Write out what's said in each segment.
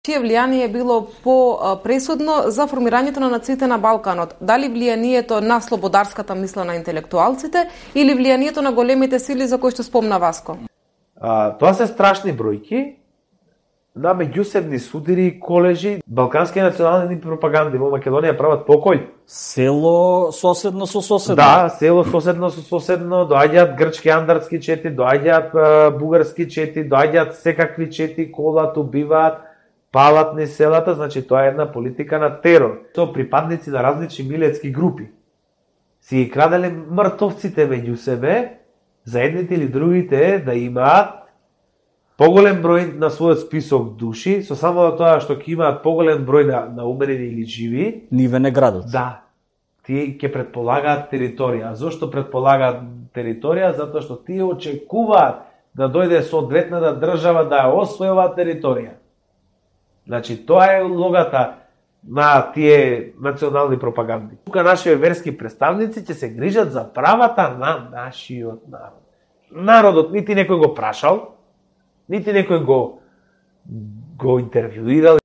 Чие влијание било по-пресудно за формирањето на нациите на Балканот? Дали влијанието на слободарската мисла на интелектуалците или влијанието на големите сили за кои што спомна Васко? Тоа се страшни бројки на меѓусебни судири, колежи, балкански национални пропаганди во Македонија прават покој. Село соседно со соседно. Да, село соседно со соседно, доаѓаат грчки андарски чети, доаѓаат бугарски чети, доаѓаат секакви чети, колат, убиваат, палат низ селата, значи тоа е една политика на терор. Тоа припадници на различни милетски групи си ги краделе мртовците меѓу себе, за едните или другите да имаат поголем број на својот список души, со само да тоа што ќе имаат поголем број на умерени или живи, ниве не градот. Да, тие ќе предполагаат територија. Зошто предполагаат територија? Затоа што тие очекуваат да дојде соодветната држава да ја освојува територија. Значи, тоа е логата на тие национални пропаганди. Тука нашите верски представници ќе се грижат за правата на нашиот народ. Народот нити некој го прашал, нити некој го интервјуирал.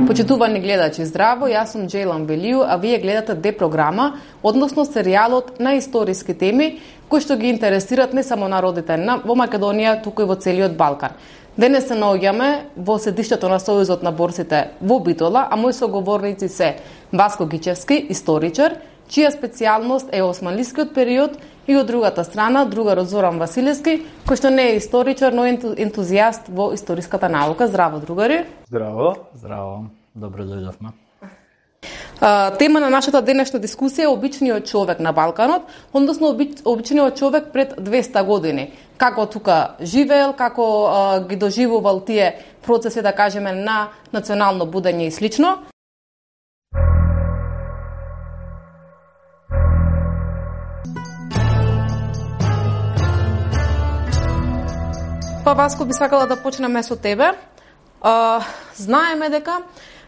Почитувани гледачи, здраво, јас сум Джейлан Велију, а вие гледате Д-програма, односно серијалот на историски теми кои што ги интересираат не само народите во Македонија, туку и во целиот Балкан. Денес се наоѓаме во седиштето на Сојузот на борците во Битола, а мои соговорници се Васко Гичевски, историчар, чија специјалност е османлискиот период, и од другата страна другарот Зоран Василевски, кој што не е историчар, но ентузијаст во историската наука. Здраво, другари. Здраво. Здраво. Добро дојдовме. Тема на нашата денешна дискусија е обичниот човек на Балканот, односно обичниот човек пред 200 години. Како тука живеел, како ги доживувал тие процеси, да кажеме, на национално будење и слично. Па, Васко, би сакала да почнеме со тебе. Знаеме дека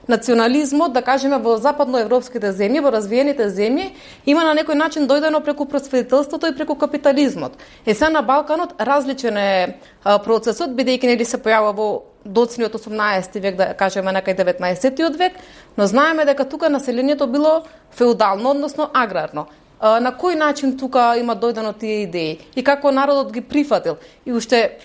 национализмот, да кажеме, во западноевропските земји, во развиените земји, има на некој начин дојдено преку просветителството и преку капитализмот. Сега на Балканот различен е процесот, бидејќи нели се појавува во доцниот 18 век, да кажеме, некај 19 век, но знаеме дека тука населението било феудално, односно аграрно. На кој начин тука има дојдено тие идеи и како народот ги прифатил? И уште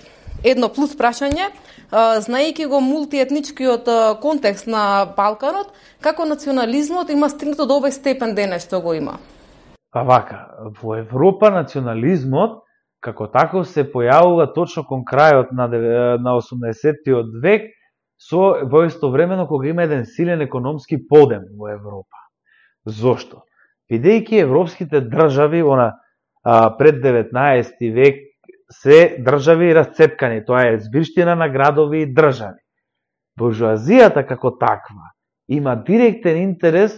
едно плюс прашање, знаејќи го мултиетничкиот контекст на Балканот, како национализмот има стигнато до овој степен денес што го има? Па вака, во Европа национализмот како таков се појавува точно кон крајот на 18-тиот век, во истовремено кога има еден силен економски подем во Европа. Зошто? Бидејќи европските држави пред 19 век се држави расцепкани, тоа е збирштина на градови и држави. Буржуазијата како таква има директен интерес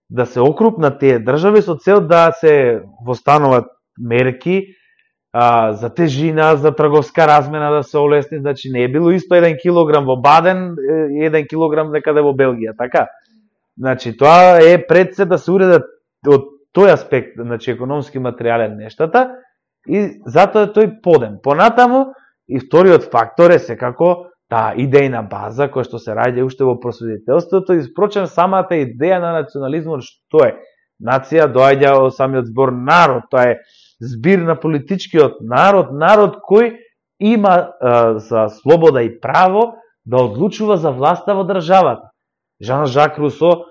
да се окрупнат тие држави со цел да се востануваат мерки за тежина, за трговска размена да се олесни, значи не е било исто 1 килограм во Баден и 1 килограм некаде во Белгија, така? Значи тоа е пред се да се уредат од тој аспект, значи економски материјален нештата, и затоа е тој подем. Понатаму, и вториот фактор е секако таа идејна база која што се раѓа уште во просветителството, и впрочем самата идеја на национализмот што е? Нација доаѓа од самиот збор народ, тоа е збир на политичкиот народ, народ кој има за слобода и право да одлучува за власта во државата. Жан-Жак Русо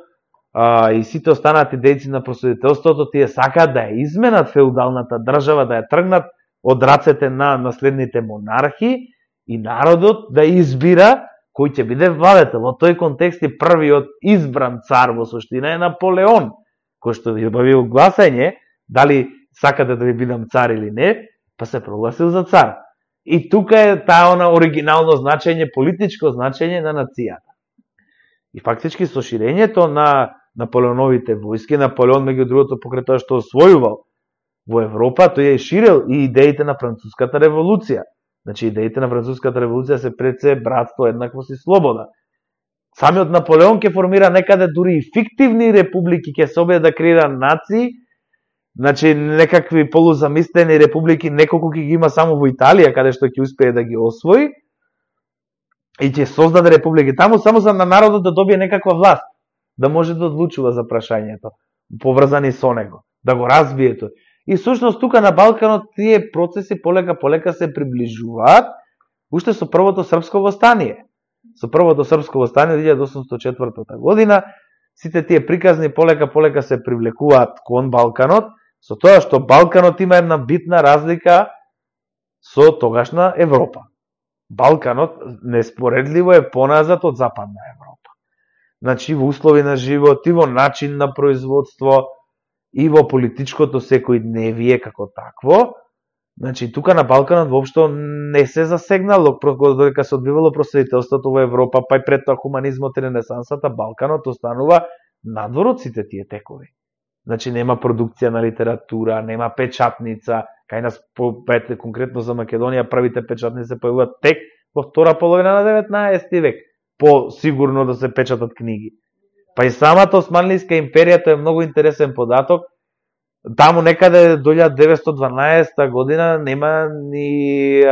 и сите останати дејци на просветителството, тие сакаат да ја изменат феудалната држава, да ја тргнат од рацете на наследните монархи и народот да избира кој ќе биде владетел. Во тој контекст и првиот избран цар во суштина е Наполеон, кој што ви објавил гласање дали сакате да ви бидам цар или не, па се прогласил за цар. И тука е таа оригинално значење, политичко значење на нацијата. И фактички со ширењето на Наполеоновите војски, Наполеон меѓу другото покрај тоа што освојувал во Европа, тој е ширил и идеите на француската револуција. Значи, идеите на француската револуција се пред се братство, еднаквост и слобода. Самиот Наполеон ќе формира некаде дури и фиктивни републики, ќе се обиде да креира нации, значи некакви полузамислени републики, неколку ќе ги има само во Италија, каде што ќе успее да ги освои, и ќе создаде републики таму само за на народот да добие некаква власт, да може да одлучува за прашањето, поврзани со него, да го разбие тој. И сушност тука на Балканот тие процеси полека се приближуваат, уште со првото српско востание. Со првото српско востание 1804 година, сите тие приказни полека се привлекуваат кон Балканот, со тоа што Балканот има една битна разлика со тогашна Европа. Балканот неспоредливо е поназад од Западна Европа. Значи, во услови на живот, и во начин на производство, и во политичкото секојдневие како такво. Значи, тука на Балканот воопшто не се засегнало, додека се одвивало просветителството во Европа, па и пред тоа хуманизмот и ренесансата, Балканот останува надвор од сите тие текови. Значи, нема продукција на литература, нема печатница. Кај нас, конкретно за Македонија, првите печатници се појавуваат тек во втора половина на 19 век, по сигурно да се печатат книги. Па и самата Османлиска империја, тоа е многу интересен податок. Таму некаде до 1912 година нема ни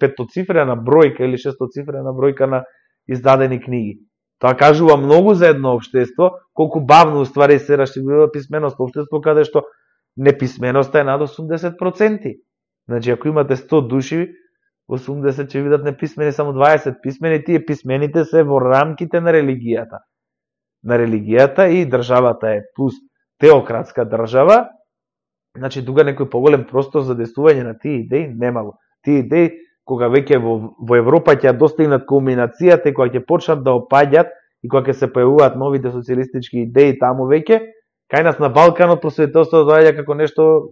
петоцифрена бројка или шестоцифрена бројка на издадени книги. Тоа кажува многу за едно општество, колку бавно уствари се расширува писменост, општество каде што неписменоста е над 80%. Значи, ако имате 100 души, 80 ќе видат неписмени, само 20 писмени, тие писмените се во рамките на религијата. На религијата и државата е плюс теократска држава, значи тука некој поголем простор за действување на тие идеи немало. Тие идеи, кога веќе во Европа ќе достигнат кулминацијата и кога ќе почнат да опаѓат и кога ќе се појавуваат новите социјалистички идеи таму веќе, кај нас на Балканот просветителството доаѓа како нешто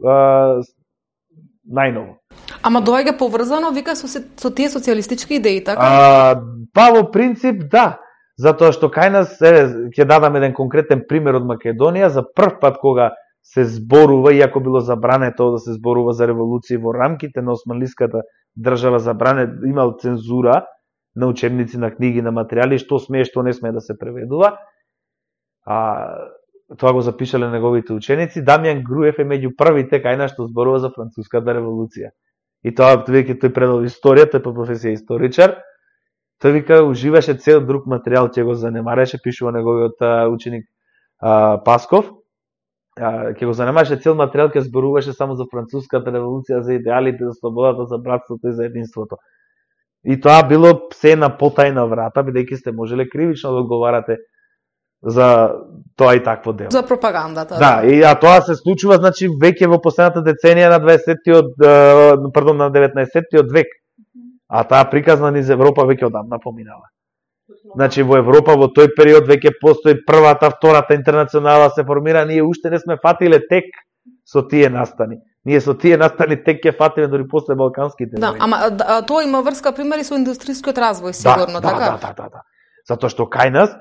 најново. Ама доаѓа поврзано, вика, со тие социјалистички идеи, така? Па во принцип да, затоа што кај нас ќе дадам еден конкретен пример од Македонија, за прв пат кога се зборува, иако било забрането да се зборува за револуција во рамките на Османлиската држава, имал цензура на учебници, на книги, на материјали, што смее, што не смее да се преведува. Тоа го запишале неговите ученици. Дамјан Груев е меѓу првите кај нас што зборува за француската револуција. И тоа веќе тој предал историја, тој по професија историчар. Тој вика уживаше цел друг материјал, ќе го занемареше, пишува неговиот ученик Пасков. Ќе го занимаваше цел материјал, ќе зборуваше само за француската револуција, за идеалите, за слободата, за братството и за единството. И тоа било се на потајна врата, бидејќи сте можеле кривично да одговарате за тоа и такво дело. За пропагандата. Да, и тоа се случува, значи, веќе во последната деценија на 19-тиот век. А таа приказна низ Европа веќе одамна поминала. Значи, во Европа во тој период веќе постои првата, втората интернационала се формира, ние уште не сме фатиле тек со тие настани. Ние со тие настани тек ќе фатиме дори после балканските војни. Да, ама тоа има врска примери со индустријскиот развој, сигурно, така? Да. Затоа што кај нас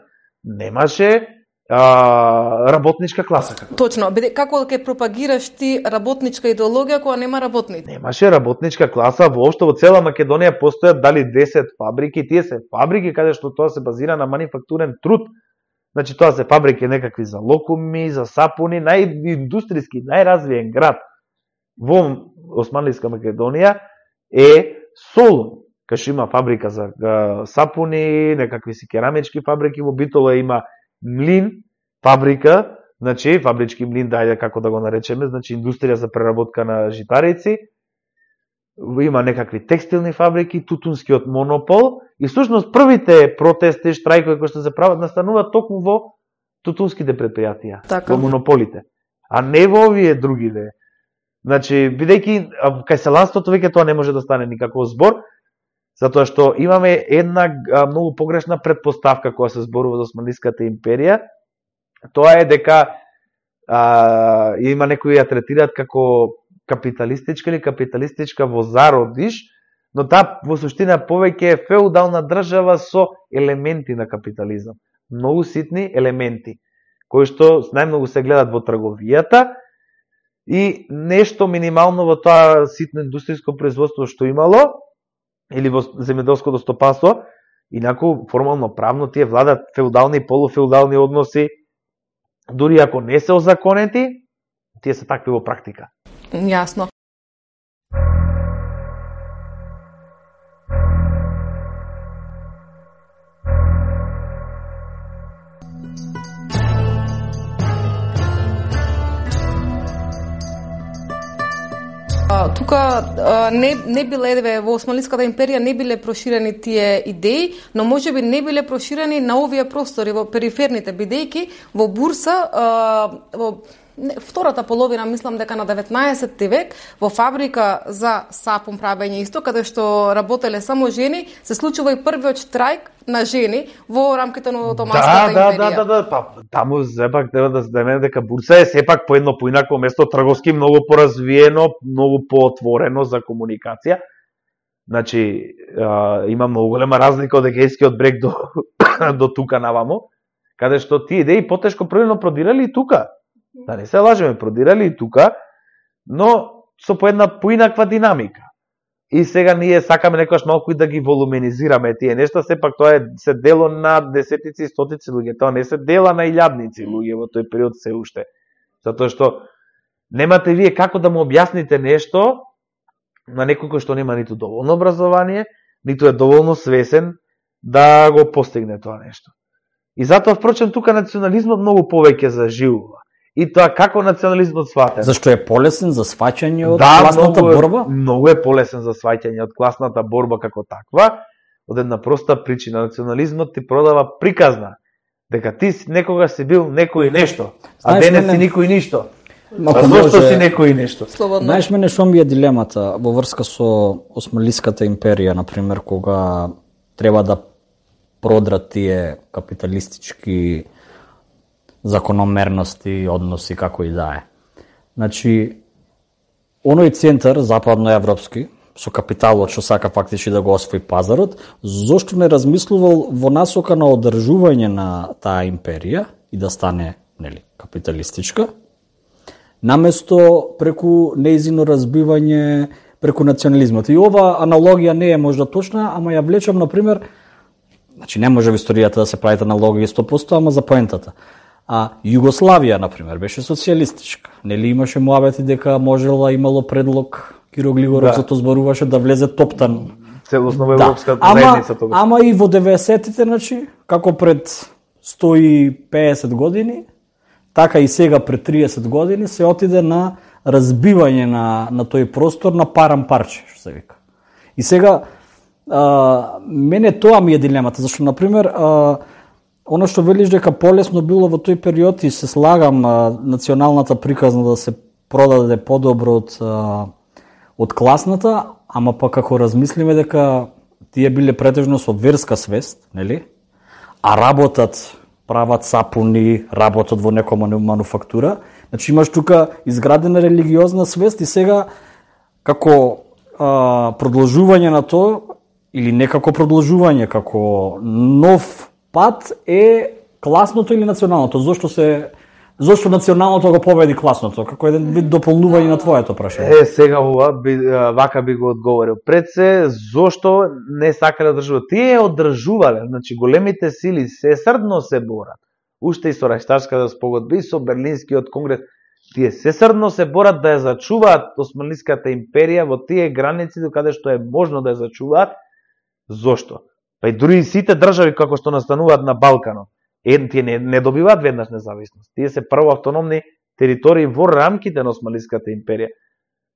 немаше работничка класа. Точно, како ќе пропагираш ти работничка идеологија кога нема работници? Немаше работничка класа, воопшто во цела Македонија постојат дали 10 фабрики, тие се фабрики каде што тоа се базира на манифактурен труд. Значи тоа се фабрики некакви за локуми, за сапуни, најиндустријски, најразвиен град во Османлиска Македонија е Солун. Кај што има фабрика за сапуни, некакви си керамички фабрики, во Битола има млин, фабрика, значи фабрички млин, дајде како да го наречеме, значи индустрија за преработка на житарици, има некакви текстилни фабрики, тутунскиот монопол и всушност првите протести, штрајкови кои што се прават настануваат токму во тутунските предпријатија, така, во монополите, а не во овие другите. Значи, бидејќи кај селанството веќе тоа не може да стане никаков збор, затоа што имаме една многу погрешна предпоставка која се зборува за Османлиската империја. Тоа е дека има некои ја третираат како капиталистичка или капиталистичка во зародиш, но таа во суштина повеќе е феудална држава со елементи на капитализам. Многу ситни елементи, кои што најмногу се гледат во трговијата и нешто минимално во тоа ситно индустријско производство што имало или во земјоделското стопанство, инаку формално правно тие владат феудални и полуфеудални односи, дури ако не се озаконети, тие се такви во практика. Јасно. Тука не биле во Османлиската империја не биле проширени тие идеи, но можеби не биле проширени на овие простори во периферните, бидејќи во Бурса во втората половина, мислам дека на 19 век, во фабрика за сапун правење исто, каде што работеле само жени, се случува и првиот штрајк на жени во рамките на Отоманската империја. Да, па таму сепак треба да знаеме дека Бурса е сепак по едно поинакво место, трговски многу поразвиено, многу поотворено за комуникација. Значи, има многу голема разлика од Егејскиот брег до тука навамо, каде што тие идеи потешко првено продирали и тука. Да не се лажеме, продирали и тука, но со по една поинаква динамика. И сега ние сакаме некојаш малку и да ги волуменизираме тие нешта, сепак тоа се дело на десетици и стотици луѓе, тоа не се дела на илјадници луѓе во тој период се уште. Затоа што немате вие како да му објасните нешто на некој кој што нема ниту доволно образование, ниту е доволно свесен да го постигне тоа нешто. И затоа, впрочем, тука национализмот многу повеќе заживува. И тоа како национализмот сватен. Зашто е полесен за сваќање од класната борба? Многу е полесен за сваќање од класната борба како таква. Од една проста причина, национализмот ти продава приказна дека ти некогаш си бил некој нешто, а денес си никој ништо. А зошто си некој нешто? Знаеш мене што ми е дилемата во врска со Османлиската империја, например, кога треба да продрат тие капиталистички закономерности, односи, како и да е. Значи, оној центар, западноевропски, со капиталот што сака фактички да го освои пазарот, зошто не размислувал во насока на одржување на таа империја и да стане, нели, капиталистичка, наместо преку неизино разбивање преку национализмот. И ова аналогија не е можда точна, ама ја влечам, например, значи не може во историјата да се правите аналогија 100%, ама за поентата. А Југославија, например, беше социјалистичка. Нели имаше муабети дека можела, имало предлог, Киро Глигоров зато зборуваше да влезе топтан. Целосно во европската заедница тогаш. Ама и во 90-тите, значи, како пред 150 години, така и сега пред 30 години се отиде на разбивање на тој простор на парам парче, што се вика. И сега, мене тоа ми е дилемата, зашто, например, оно што велиш дека полесно било во тој период и се слагам националната приказна да се продаде подобро од класната, ама пак ако размислиме дека тие биле претежно со верска свест, нели? А работат, прават сапуни, работат во некоја мануфактура, значи имаш тука изградена религиозна свест и сега како продолжување на тоа или некако продолжување, како нов пат е класното или националното. Зошто националното го победи класното? Како еден вид дополнување на твоето прашање. Сега вака би го одговорил. Пред се, зошто не сакале да одржуваат? Тие одржувале, значи големите сили сесрдно се борат. Уште и со Рајштарската спогодба и со Берлинскиот конгрес, тие сесрдно се борат да ја зачуваат Османлиската империја во тие граници до каде што е можно да ја зачуваат. Зошто? Па и дури и сите држави како што настануваат на Балканот, тие не добиваат веднаш независност. Тие се прво автономни територии во рамките на Османлиската империја.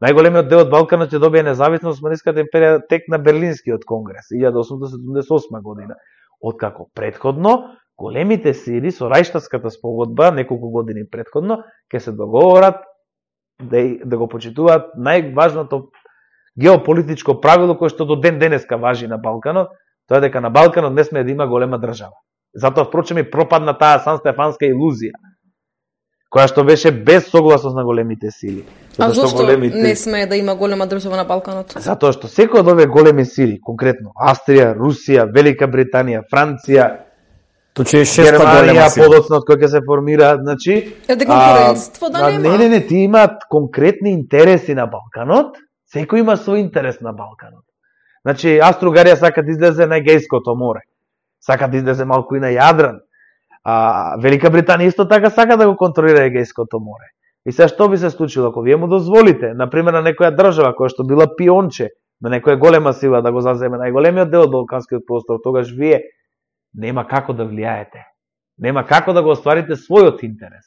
Најголемиот дел од Балканот ќе добие независност Османлиската империја тек на Берлинскиот конгрес 1878 година. Откако предходно големите сили со Рајштарската спогодба неколку години предходно ќе се договорат да го почитуваат најважното геополитичко правило кое што до ден денеска важи на Балканот, тоа е дека на Балканот не сме да има голема држава. Затоа, впрочем, и пропадна таа санстефанска илузија, која што беше без согласност на големите сили. А зошто не сме да има голема држава на Балканот? Затоа што секој од овие големи сили, конкретно Австрија, Русија, Велика Британија, Франција, Тоа е шеста голема Германија сила. подоцна од кој ќе се формира, значи конкурентство да нема. Не, ти имаат конкретни интереси на Балканот, секој има свој интерес на Балканот. Значи Австро-Угарија сака да излезе на Егејското море, сака да излезе малку и на Јадран. Велика Британија исто така сака да го контролира Егејското море. И сега што би се случило ако вие му дозволите, например на некоја држава која што била пионче, на некоја голема сила да го заземе најголемиот дел од балканскиот простор, тогаш вие нема како да влијаете. Нема како да го остварите својот интерес.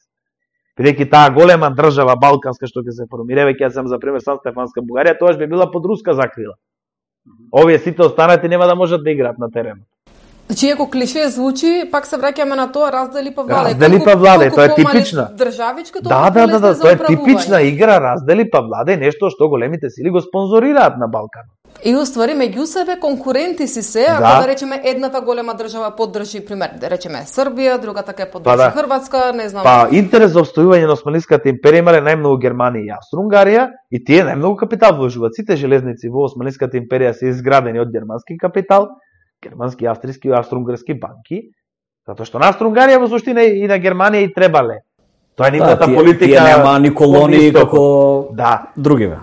Бидејќи таа голема држава балканска што ќе се формира, веќе ја сам за пример Сан Стефанска Бугарија, тогаш би била под руска закрила. Овие сите останати нема да можат да играат на теренот. Значи, ако клише звучи, пак се враќаме на тоа раздели па владе. Раздели па владе, тоа е типична. Државичка, Да, тоа е типична игра, раздели па владе, нешто што големите сили го спонзорираат на Балканот. И уствари меѓу себе конкуренти си се, ако да речеме едната голема држава поддржи, пример, да речеме Србија, другата ќе поддржи Хрватска, не знам. Па интерес за обстојување на Османлиската империја имале најмногу Германија и Австро-Унгарија и тие најмногу капитал вложуваат. Сите железници во Османлиската империја се изградени од германски капитал, германски, австријски и австро-унгарски банки, затоа што на Австро-Унгарија во суштина и на Германија и требале. Тоа е нивната политика. Тие нема ни колонии како другиве.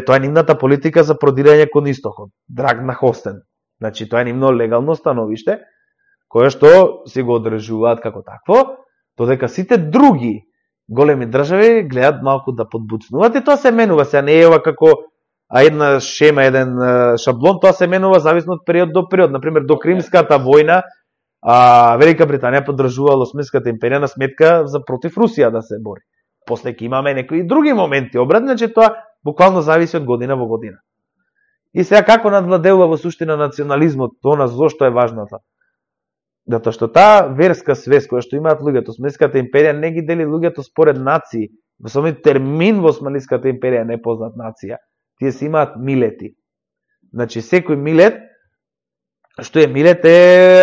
Тоа е нивната политика за продирање кон истокот. Драг на Хостен. Значи тоа е нивно легално становиште кое што си го одржуваат како такво, додека сите други големи држави гледаат малку да подбуцнуваат и тоа се менува, се не е ова како една шема, еден шаблон, тоа се менува зависно од период до период. Например, до Кримската војна Велика Британија поддржувала Османската империја на сметка за против Русија да се бори. После ќе имаме некои други моменти обратно, значи тоа буквално зависи од година во година. И сега како надвладеува во суштина национализмот, тоа зошто е важната? Затоа што таа верска свест која што имаат луѓето, Османската империја не ги дели луѓето според нации. Во самиот термин во Османската империја не познат нација. Тие си имаат милети. Значи секој милет, што е милет е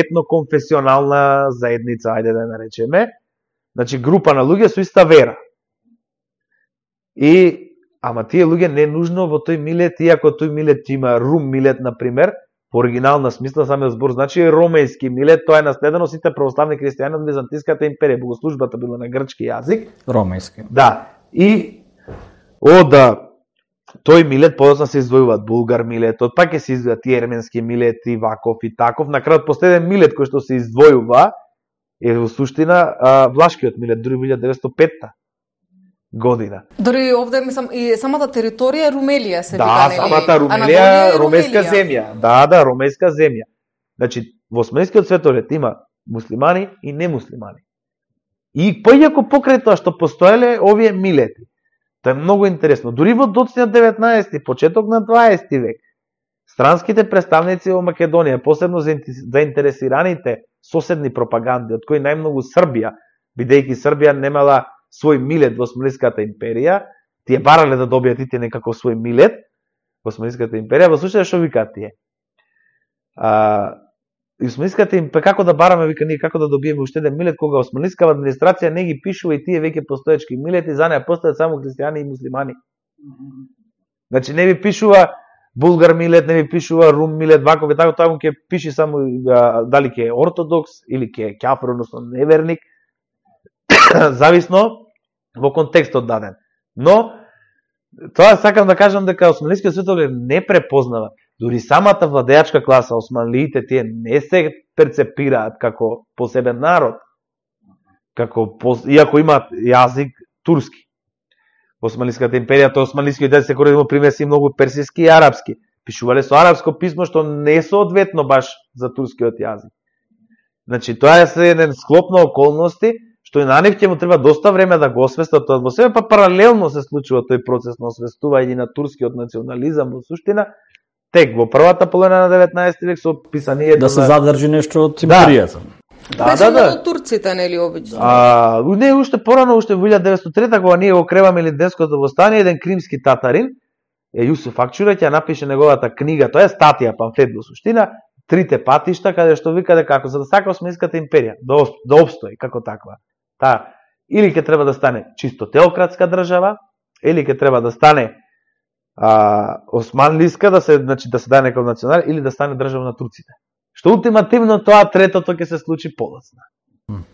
етноконфесионална заедница, ајде да наречеме. Значи група на луѓе со иста вера. Ама тие луѓе не нужно во тој милет, иако тој милет има рум милет, например, по оригинална смисла, самиот збор значи ромејски милет, тоа е наследено сите православни христијани од Византиската империја, богослужбата била на грчки јазик. Ромејски. Да. И од тој милет подоцна се издвојуваат булгар милетот, пак ќе се издвојат и ерменски милети, ваков и таков. На крајот последен милет кој што се издвојува е во суштина влашкиот милет, дури 1905 година. Дори овде мислам и самата територија Румелија се вика, нели? Да, самата Румелија, ромејска земја. Да, ромејска земја. Значи во османскиот светоред има муслимани и немуслимани. И поиако покрај тоа што постоеле овие милети. Тоа е многу интересно. Дури во доцниот 19, почеток на 20 век, странските представници во Македонија, посебно заинтересираните соседни пропаганди, од кои најмногу Србија, бидејќи Србија немала свој милет во Османската империја, тие барале да добијат и тие некаков свој милет во Османската империја, во случај што викаат тие. Османската империја, како да бараме, вика ние, како да добиеме уште еден милет, кога османската администрација не ги пишува и тие веќе постоечки милети, за неа постојат само христијани и муслимани. Значи не ви пишува булгар милет, не ви пишува рум милет, ваков и така, тоа му ќе пиши само дали ќе е ортодокс или ќе е кафир, односно неверник, зависно во контекстот даден. Но тоа сакам да кажам дека османлискиот светоглед не препознава. Дури самата владеачка класа, османлиите, тие не се перцепираат како посебен народ, иако имаат јазик турски. Османлиската империја, тоа османлискиот јазик се користи примеси многу персиски и арапски. Пишувале со арапско писмо што не е соодветно баш за турскиот јазик. Значи тоа е еден склоп на околности што и на нив ќе му треба доста време да го освестат тоа во себе, па паралелно се случува тој процес на освестување на турскиот национализам во суштина, тек во првата половина на 19 век со писанието да се задржи нешто од империјата. Да. Турците, нели обично? Не, уште порано, уште во 1903 кога ние го креваме Илинденското востание, еден кримски татарин, Јусуф Акчура, ќе напише неговата книга, тоа е статија, памфлет во суштина, Трите патишта, каде што вика дека како за да сака Османската империја да обстои како таква. Или ќе треба да стане чисто теократска држава, или ќе треба да стане османлиска, значи да се даде некој национал, или да стане држава на турците. што ултимативно тоа третото ќе се случи подоцна.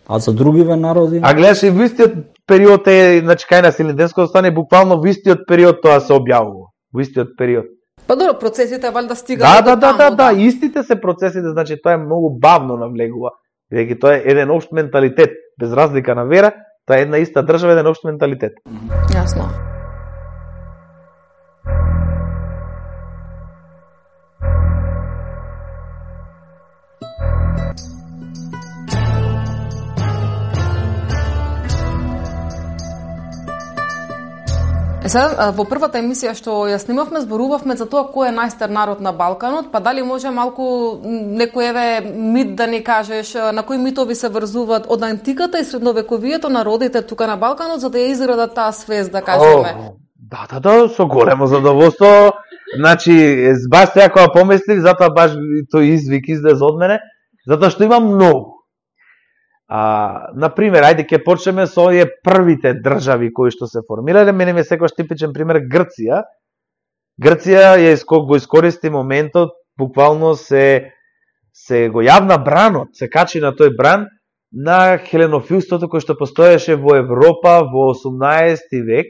А за другиве народи? А гледаш и во истиот период значи кај на Силинденското стане буквално во истиот период тоа се објавува. Во истиот период. Па добро, процесите валјда стигаат до таму. Да, истите се процесите, значи тоа е многу бавно навлегува. Бидејќи тоа е еден општ менталитет, без разлика на вера, тоа е една иста држава, еден општ менталитет. Јасно. Сега, во првата емисија што ја снимавме, зборувавме за тоа кој е најстар народ на Балканот, па дали може малку некој мит да ни кажеш, на кои митови се врзуваат од антиката и средновековието народите тука на Балканот, за да ја изградат таа свест, да кажеме? Да, со големо задоволство. Значи, баш сега кога помислив, затоа баш тој извик излез од мене, затоа што има многу. Например, ајде ќе почнеме со овие првите држави кои што се формирале. Мене ми е секојаш типичен пример Грција. Грција го искористи моментот, буквално се го јавна бранот, се качи на тој бран на хеленофилството кој што постоеше во Европа во 18 век.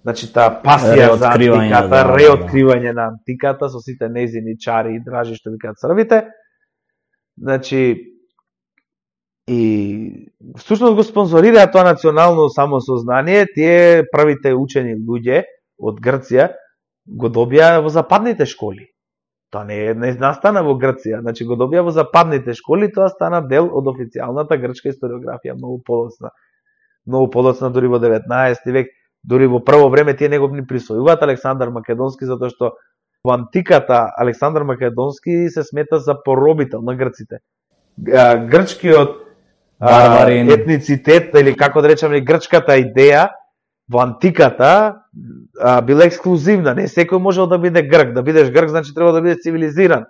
Значи таа пасија за антиката, реоткривање на антиката со сите нејзини чари и дражи што викаат србите. Значи и всушност го спонзорираа тоа национално самосознание, тие првите учени луѓе од Грција го добија во западните школи. Тоа не настана во Грција, значи го добија во западните школи, тоа стана дел од официјалната грчка историографија многу подоцна. Многу подоцна дури во 19 век, дури во прво време тие него ни присвојуваат Александар Македонски, затоа што во антиката Александар Македонски се смета за поробител на грците. Грчкиот етницитет, или како да речеме, грчката идеја во антиката била ексклузивна. Не секој можел да биде грк. Да бидеш грк, значи треба да бидеш цивилизиран.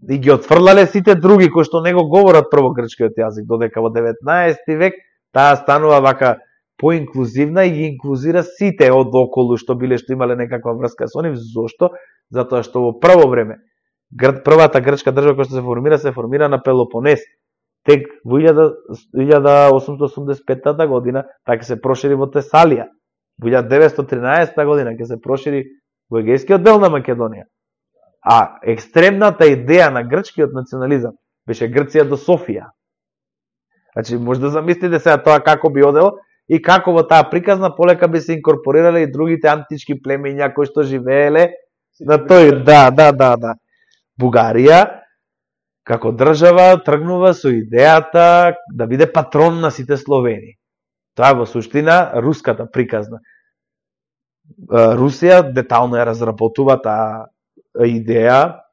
И ги отфрлале сите други кои што не го говорат прво грчкиот јазик, додека во 19 век таа станува вака поинклузивна и ги инклузира сите од околу што имале некаква врска со нив. Зошто? Затоа што во прво време првата грчка држава која што се формира на Пелопонес. Тек во 1885 година така ќе се прошири во Тесалија. Во 1913 година ќе се прошири во егејскиот дел на Македонија. А екстремната идеја на грчкиот национализам беше Грција до Софија. Значи, може да замислите сега тоа како би одело и како во таа приказна полека би се инкорпорирале и другите антички племења кои што живееле на тој, да. Бугарија како држава тргнува со идејата да биде патрон на сите Словени. Тоа е во суштина руската приказна. Русија детално ја разработува таа идеја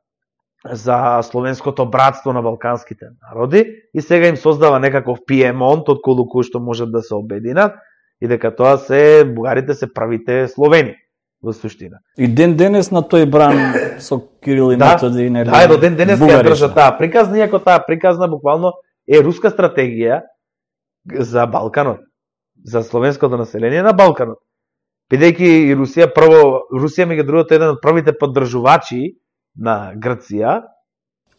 за словенското братство на балканските народи и сега им создава некаков Пиемонт од кој што можат да се обединат и дека тоа бугарите се првите Словени во суштина. И ден денес на тој бран со Кирил и Методи, нели? Да, до ден денес ја држа таа приказна, иако таа приказна буквално е руска стратегија за Балканот, за словенското население на Балканот. Бидејќи и Русија меѓу другото еден од првите поддржувачи на Грција.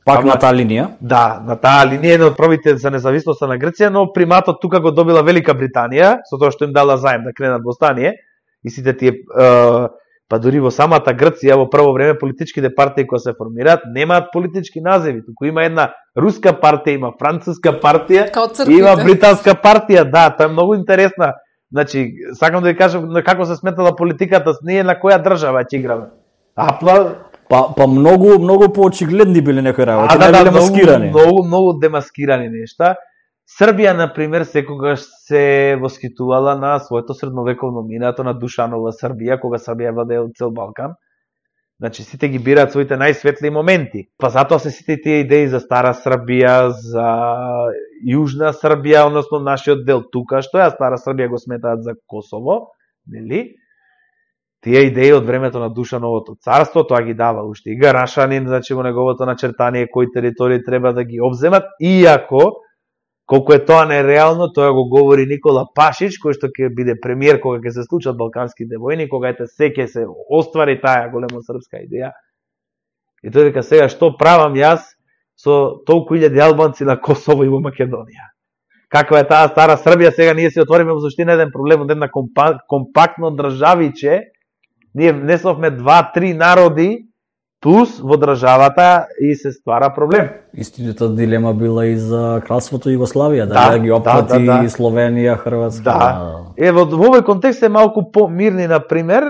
Пак на таа линија? Да, на таа линија еден од првите за независноста на Грција, но приматот тука го добила Велика Британија, со тоа што им дала заем да кренат во стание. И сите тие, па дури во самата Грција, во прво време политичките партии кои се формираат, немаат политички називи. Туку има една руска партија, има француска партија, има британска партија. Да, тоа е многу интересна. Значи, сакам да ви кажам како се сметала политиката, ние на која држава ќе играме. Па многу поочигледни биле некои работи, не биле маскирани. Многу демаскирани нешта. Србија, например, секогаш се восхитувала на своето средновековно минато на Душанова Србија, кога Србија владеела цел Балкан. Значи, сите ги бираат своите најсветли моменти. Па затоа се сите тие идеи за Стара Србија, за Јужна Србија, односно нашиот дел тука, што ја Стара Србија го сметаат за Косово, нели? Тие идеи од времето на Душановото царство, тоа ги дава уште и Гарашанин, значи во неговото начертание кои територии треба да ги обземат, иако колку е тоа нереално, тоа го говори Никола Пашич, кој што ќе биде премиер кога ќе се случат балканските војни, кога ете ќе се оствари таа големо српска идеја. И тој вика, сега што правам јас со толку илјади албанци на Косово и во Македонија. Каква е таа стара Србија, сега ние се отвориме во суштина еден проблем од една компактно државиче. Ние внесовме 2-3 народи плюс во државата и се ствара проблем. Истината дилема била и за кралството Југославија, да ги опфати Словенија, Хрватска. Да. Во овој контекст е малку помирни, на пример,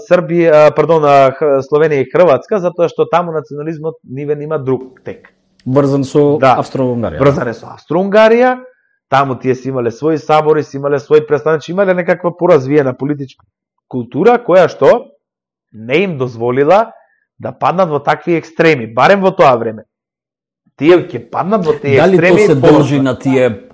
Словенија и Хрватска, затоа што таму национализмот нивен има друг тек. Врзан со Австро-Унгарија. Врзан е со Австро-Унгарија, таму тие си имале своји сабори, си имале своји представници, имале некаква поразвиена политичка култура, која што не им дозволила да паднат во такви екстреми, барем во тоа време. Тие ќе паднат во тие екстреми. Дали тоа се должи на тие,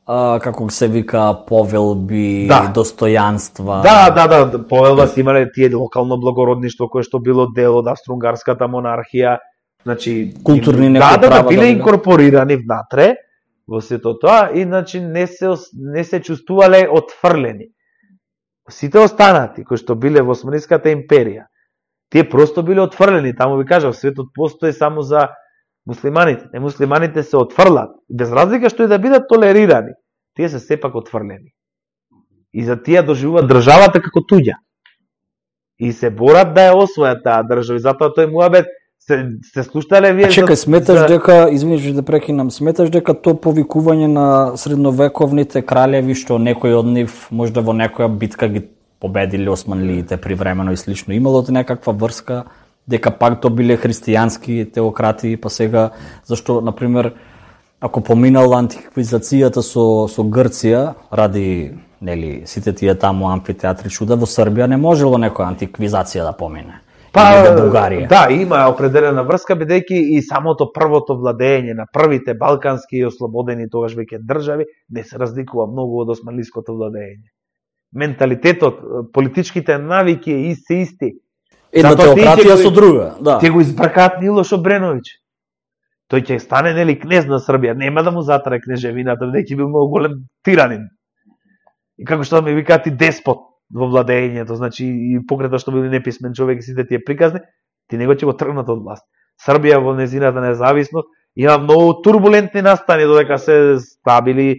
како се вика, повелби, достојанства? Да, повелба си имале тие локално благородништво, кое што било дел од австро-унгарската монархија, значи културни некои права. Да, биле инкорпорирани внатре во сето тоа и значи не се чувствувале отфрлени. Сите останати кои што биле во Османската империја, тие просто биле отфрлени. Таму ви кажав, светот постои само за муслиманите. Немуслиманите се отфрлат. Без разлика што и да бидат толерирани, тие се сепак отфрлени. И за тие доживуваат државата како туѓа. И се борат да ја освојат таа држава. И затоа тој муабет се слуштале вие... Чекај, сметаш дека, извиниш да прекинам, сметаш дека тоа повикување на средновековните кралеви, што некој од нив можда во некоја битка ги победили османлиите привремено и слично, имало некаква врска, дека пак тоа биле христијански теократи, па сега, зашто, например, ако поминала антиквизацијата со Грција, ради, нели, сите тие таму амфитеатри чуда, во Србија не можело некоја антиквизација да помине. Да, има определена врска, бидејќи и самото првото владење на првите балкански и ослободени тогаш веќе држави не се разликува многу од османлиското владење. Менталитетот, политичките навики се исти. Една теократија со друга, да. Ќе го избркаат Милош Обреновиќ. Тој ќе стане, нели, кнез на Србија, нема да му затрае кнежевината, бидејќи бил многу голем тиранин. И како што ми викаат и деспот во владењето, значи и покрај што бил неписмен човек и сите тие приказни, ти него ќе го тргнат од власт. Србија во незината независност има многу турбулентни настани додека се стабили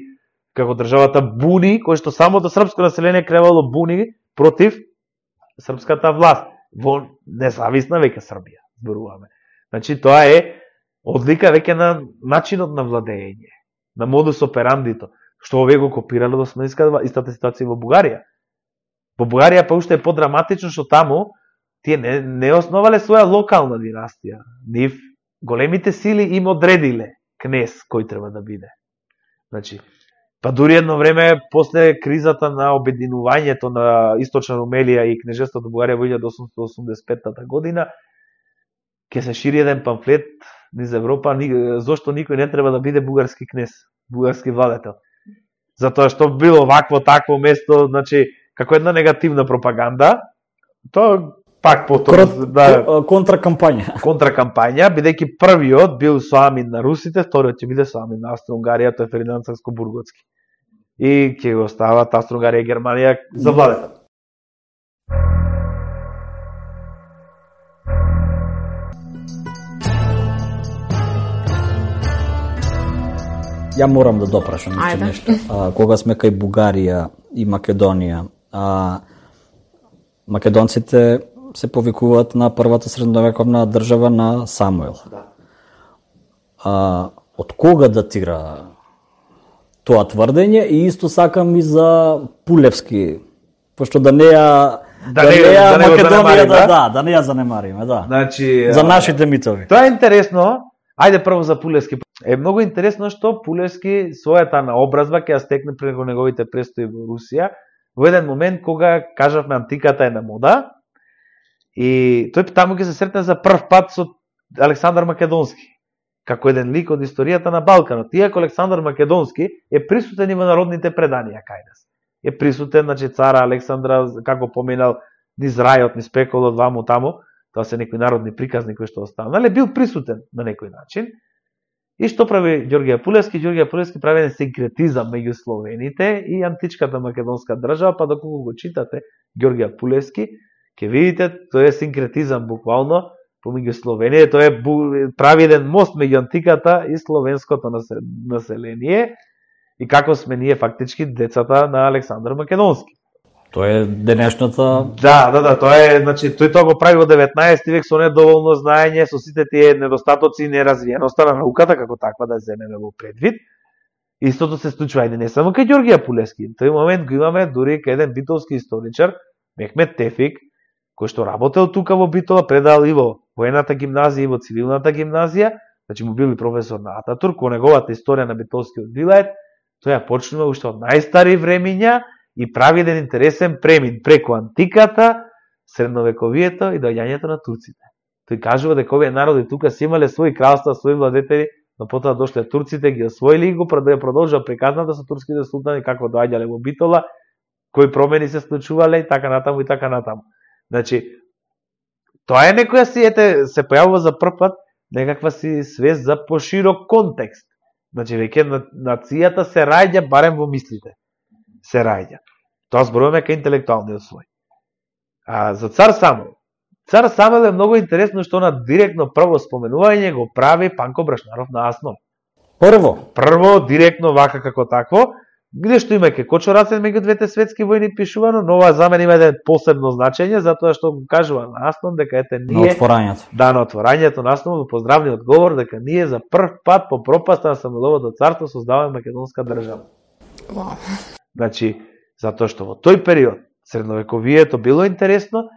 како државата буни, кој што самото српско население кревало буни против српската власт во независна веќе Србија, зборуваме. Значи тоа е одлика веќе на начинот на владење, на модус операндито, што овие го копирале од османската, истата ситуација во Бугарија. Во Бугарија па уште е подраматично што таму тие не основале своја локална династија. Нив големите сили им одредиле кнез кој треба да биде. Значи, па дури едно време после кризата на обединувањето на Источна Румелија и кнежеството Бугарија во 1885 година, ќе се шири еден памфлет низ Европа зошто никој не треба да биде бугарски кнез, бугарски владетел. Затоа што било вакво такво место, значи како една негативна пропаганда, тоа пак потоа контракампања, бидејќи првиот бил соамин на русите, вториот ќе биде соамин на Австро-Унгарија, тоа е Фердинанд Сакскобурготски. И ќе го остават Австро-Унгарија и Германија за владетел. Ја морам да допрашам нешто. Кога сме кај Бугарија и Македонија, македонците се повикуваат на првата средновековна држава на Самуил. Од кога датира тоа тврдење и исто сакам и за Пулевски, пошто да не ја занемариме, да. Значи, за нашите митови. Тоа е интересно. Ајде прво за Пулевски. Е многу интересно што Пулевски својата наобразба ќе ја стекне преку неговите престои во Русија во еден момент кога, кажавме, антиката е на мода и тој таму ќе се сретне за прв пат со Александар Македонски, како еден лик од историјата на Балканот. Иако Александар Македонски е присутен и во народните преданија кај нас. Е присутен, значи, цара Александра, како поминал, низ рајот, низ пеколот, ваму таму, тоа се некои народни приказни кои што останале, бил присутен на некој начин. И што прави Ѓорѓе Пулевски? Ѓорѓе Пулевски прави еден синкретизам меѓу словените и античката македонска држава, па доколку го читате Ѓорѓе Пулевски, ќе видите, тој е синкретизам буквално помеѓу Словенија, тоа прави еден мост меѓу антиката и словенското население, и како сме ние фактички децата на Александар Македонски. Тоа е денешната... Да, тоа е, значи, тој тоа го прави во 19 век со недоволно знаење, со сите тие недостатоци и неразвиеноста на науката, како таква да земеме во предвид. Истото се случува и не само кај Ѓорѓе Апулевски. В тој момент го имаме дури кај еден битолски историчар, Мехмет Тефик, кој што работел тука во Битола, предал и во воената гимназија и во цивилната гимназија, значи му бил и професор на Ататурк, во неговата историја на битолскиот вилајет, тој ја почнува уште од најстари времиња и прави еден интересен премин преку антиката, средновековието и доаѓањето на турците. Тој кажува дека овие народи тука си имале своји кралства, своји владетели, но потоа дошле турците, ги освоили и го продолжува приказната со турските султани, како доаѓале во Битола, кои промени се случувале и така натаму и така натаму. Значи, тоа е некоја си, се појавува за прв пат некаква си свест за поширок контекст. Значи, веќе нацијата се раѓа барем во мислите. Се раѓа. Тоа зборуваме кај интелектуалниот слој. А за цар Самуил. Цар Самуил е многу интересно што на директно прво споменување го прави Панко Брашнаров на Аснов. Прво, директно вака како такво, где што има ке кочорацен меѓу двете светски војни пишувано, но ова за мене има еден посебно значење, затоа што го кажува на Аснов дека ете ние... На отворањето. Да, на отворањето на Аснов, поздравниот говор дека ние за прв пат по пропаста на Самуиловото царство создаваме македонска држава. Wow. Значи, затоа што во тој период средновековието било интересно,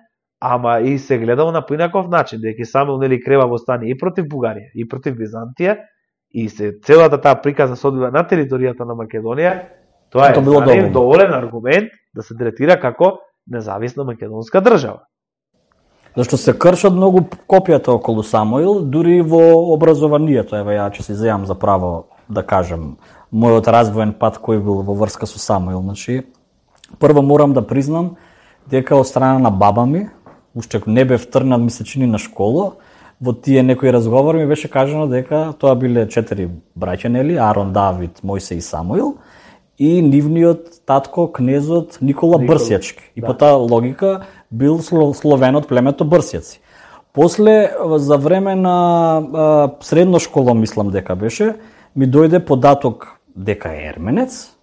ама и се гледало на поинаков начин, дека Самуил нели крева восстание и против Бугарија, и против Византија, и се целата таа приказна се одвива на територијата на Македонија. Тоа е доволен аргумент да се третира како независна македонска држава. Зашто се кршат многу копијата околу Самуил, дури во образованието. Ева ја ќе се изјавам за право да кажем мојот развоен пат кој бил во врска со Самуил. Значи, прво морам да признам дека од страна на баба ми, уште не бев тргнат ми се чини на школа, во тие некои разговори ми беше кажано дека тоа биле 4 браќа, нели, Арон, Давид, Мојсе и Самуил, и нивниот татко, кнезот Никола Брсјачки. И по таа логика бил словен од племето Брсјаци. После, за време на средно школа, мислам дека беше, ми дојде податок дека е ерменец.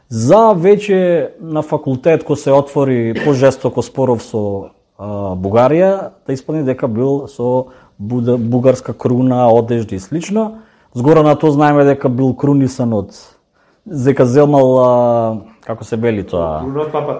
За веќе на факултет кој се отвори пожестоко споров со Бугарија, да исполни дека бил со бугарска круна, одежди и слично. Згора на тоа знаеме дека бил крунисан од дека земал, како се вели тоа?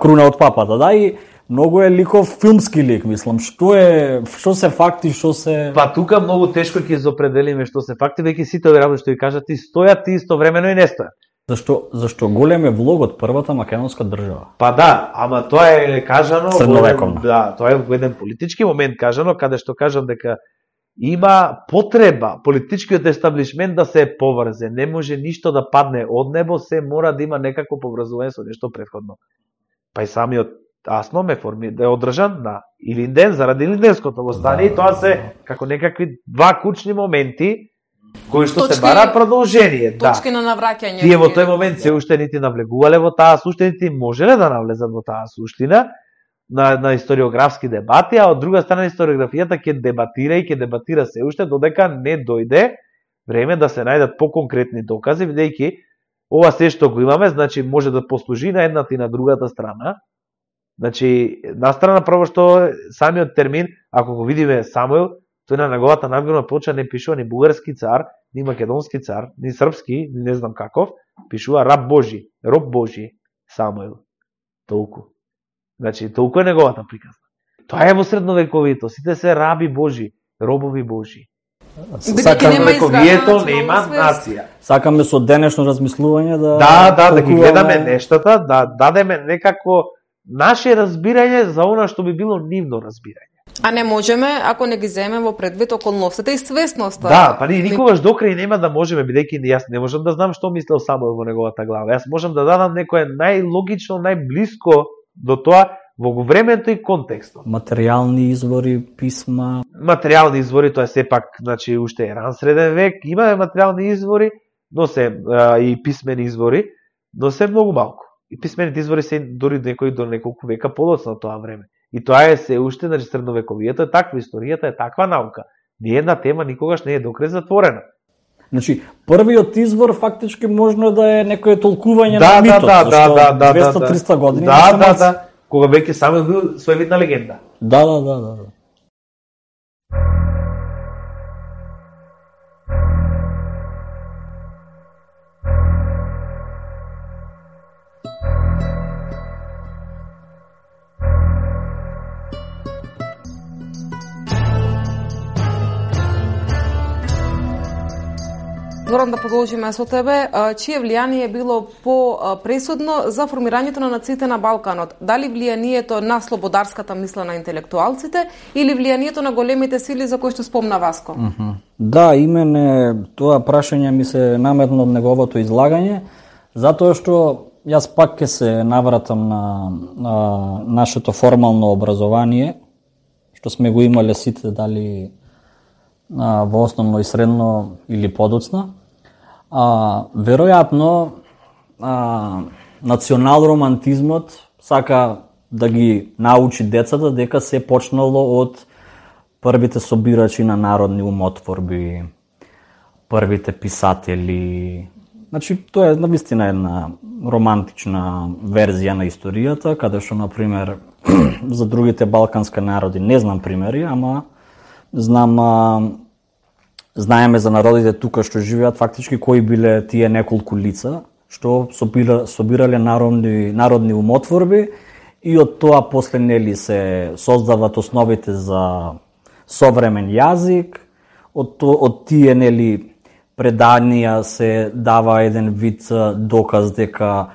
Круна од папата, да, и многу е ликов филмски лик, мислам. Што се факти, што се... Па тука многу тешко ќе изопределиме што се факти, веќе сите овие работи што ви кажат, и стојат и истовремено и не стојат. Зашто голем е влог од првата македонска држава? Па да, ама тоа е кажано... Средновековно. Да, тоа е во еден политички момент кажано, каде што кажам дека има потреба политичкиот естаблишмент да се поврзе. Не може ништо да падне од небо, се мора да има некако поврзување со нешто претходно. Па и самиот Аснов е одржан на Илинден заради Илинденското восстание, и тоа се како некакви два кучни моменти кои што се бара продолжение. Точки на навраќање. Тие во тој момент се уште нити навлегувале во таа суштина, нити можеле да навлезат во таа суштина на историографски дебати, а од друга страна историографијата ќе дебатира се уште додека не дојде време да се најдат поконкретни докази, бидејќи ова се што го имаме, значи може да послужи на едната и на другата страна. Значи, на страна прво што самиот термин, ако го видиме Самуил, тој на неговата надгробна плоча не пишува ни бугарски цар, ни македонски цар, ни српски, ни не знам каков, пишува раб Божи, роб Божи, Самуил. Толку. Значи, толку е неговата приказна. Тоа е во средновековието, сите се раби Божи, робови Божи. Средновековието нема нација. Сакаме со денешно размислување да ги гледаме нештата, да дадеме некако наше разбирање за она што би било нивно разбирање. А не можеме ако не ги земеме во предвид околностите и свесноста. Да, па ние никогаш до крај нема да можеме, бидејќи јас не можам да знам што мислел Самуил во неговата глава. Јас можам да дадам некое најлогично, најблиско до тоа во времето и контекстот. Материјални извори, писма. Материјални извори, тоа е сепак, значи уште е ран среден век, имаме материјални извори, но се и писмени извори, но се многу малку. И писмените извори се дури некои до неколку века подоцна тоа време. И тоа е се уште, значи средновековието е таква, историјата е таква наука. Ни една тема никогаш не е докрај затворена. Значи, првиот извор фактички можно да е некое толкување на митот, зашто 200-300 години. Да. Кога веќе само бил своевидна легенда. Да. Зоран, да продолжиме со тебе. Чие влијание било по-пресудно за формирањето на нациите на Балканот? Дали влијанието на слободарската мисла на интелектуалците или влијанието на големите сили за кои што спомна Васко? Да, имене тоа прашање ми се наметна од неговото излагање, затоа што јас пак ќе се навратам на нашето формално образование, што сме го имале сите, дали во основно и средно или подоцна. Веројатно национал-романтизмот сака да ги научи децата дека се почнало од првите собирачи на народни умотворби, првите писатели. Значи, тоа е навистина една романтична верзија на историјата, каде што, например, за другите балкански народи не знам примери, ама знаеме за народите тука што живеат фактички кои биле тие неколку лица што собирале народни умотворби и од тоа после нели се создават основите за современ јазик, од тие нели преданија се дава еден вид доказ дека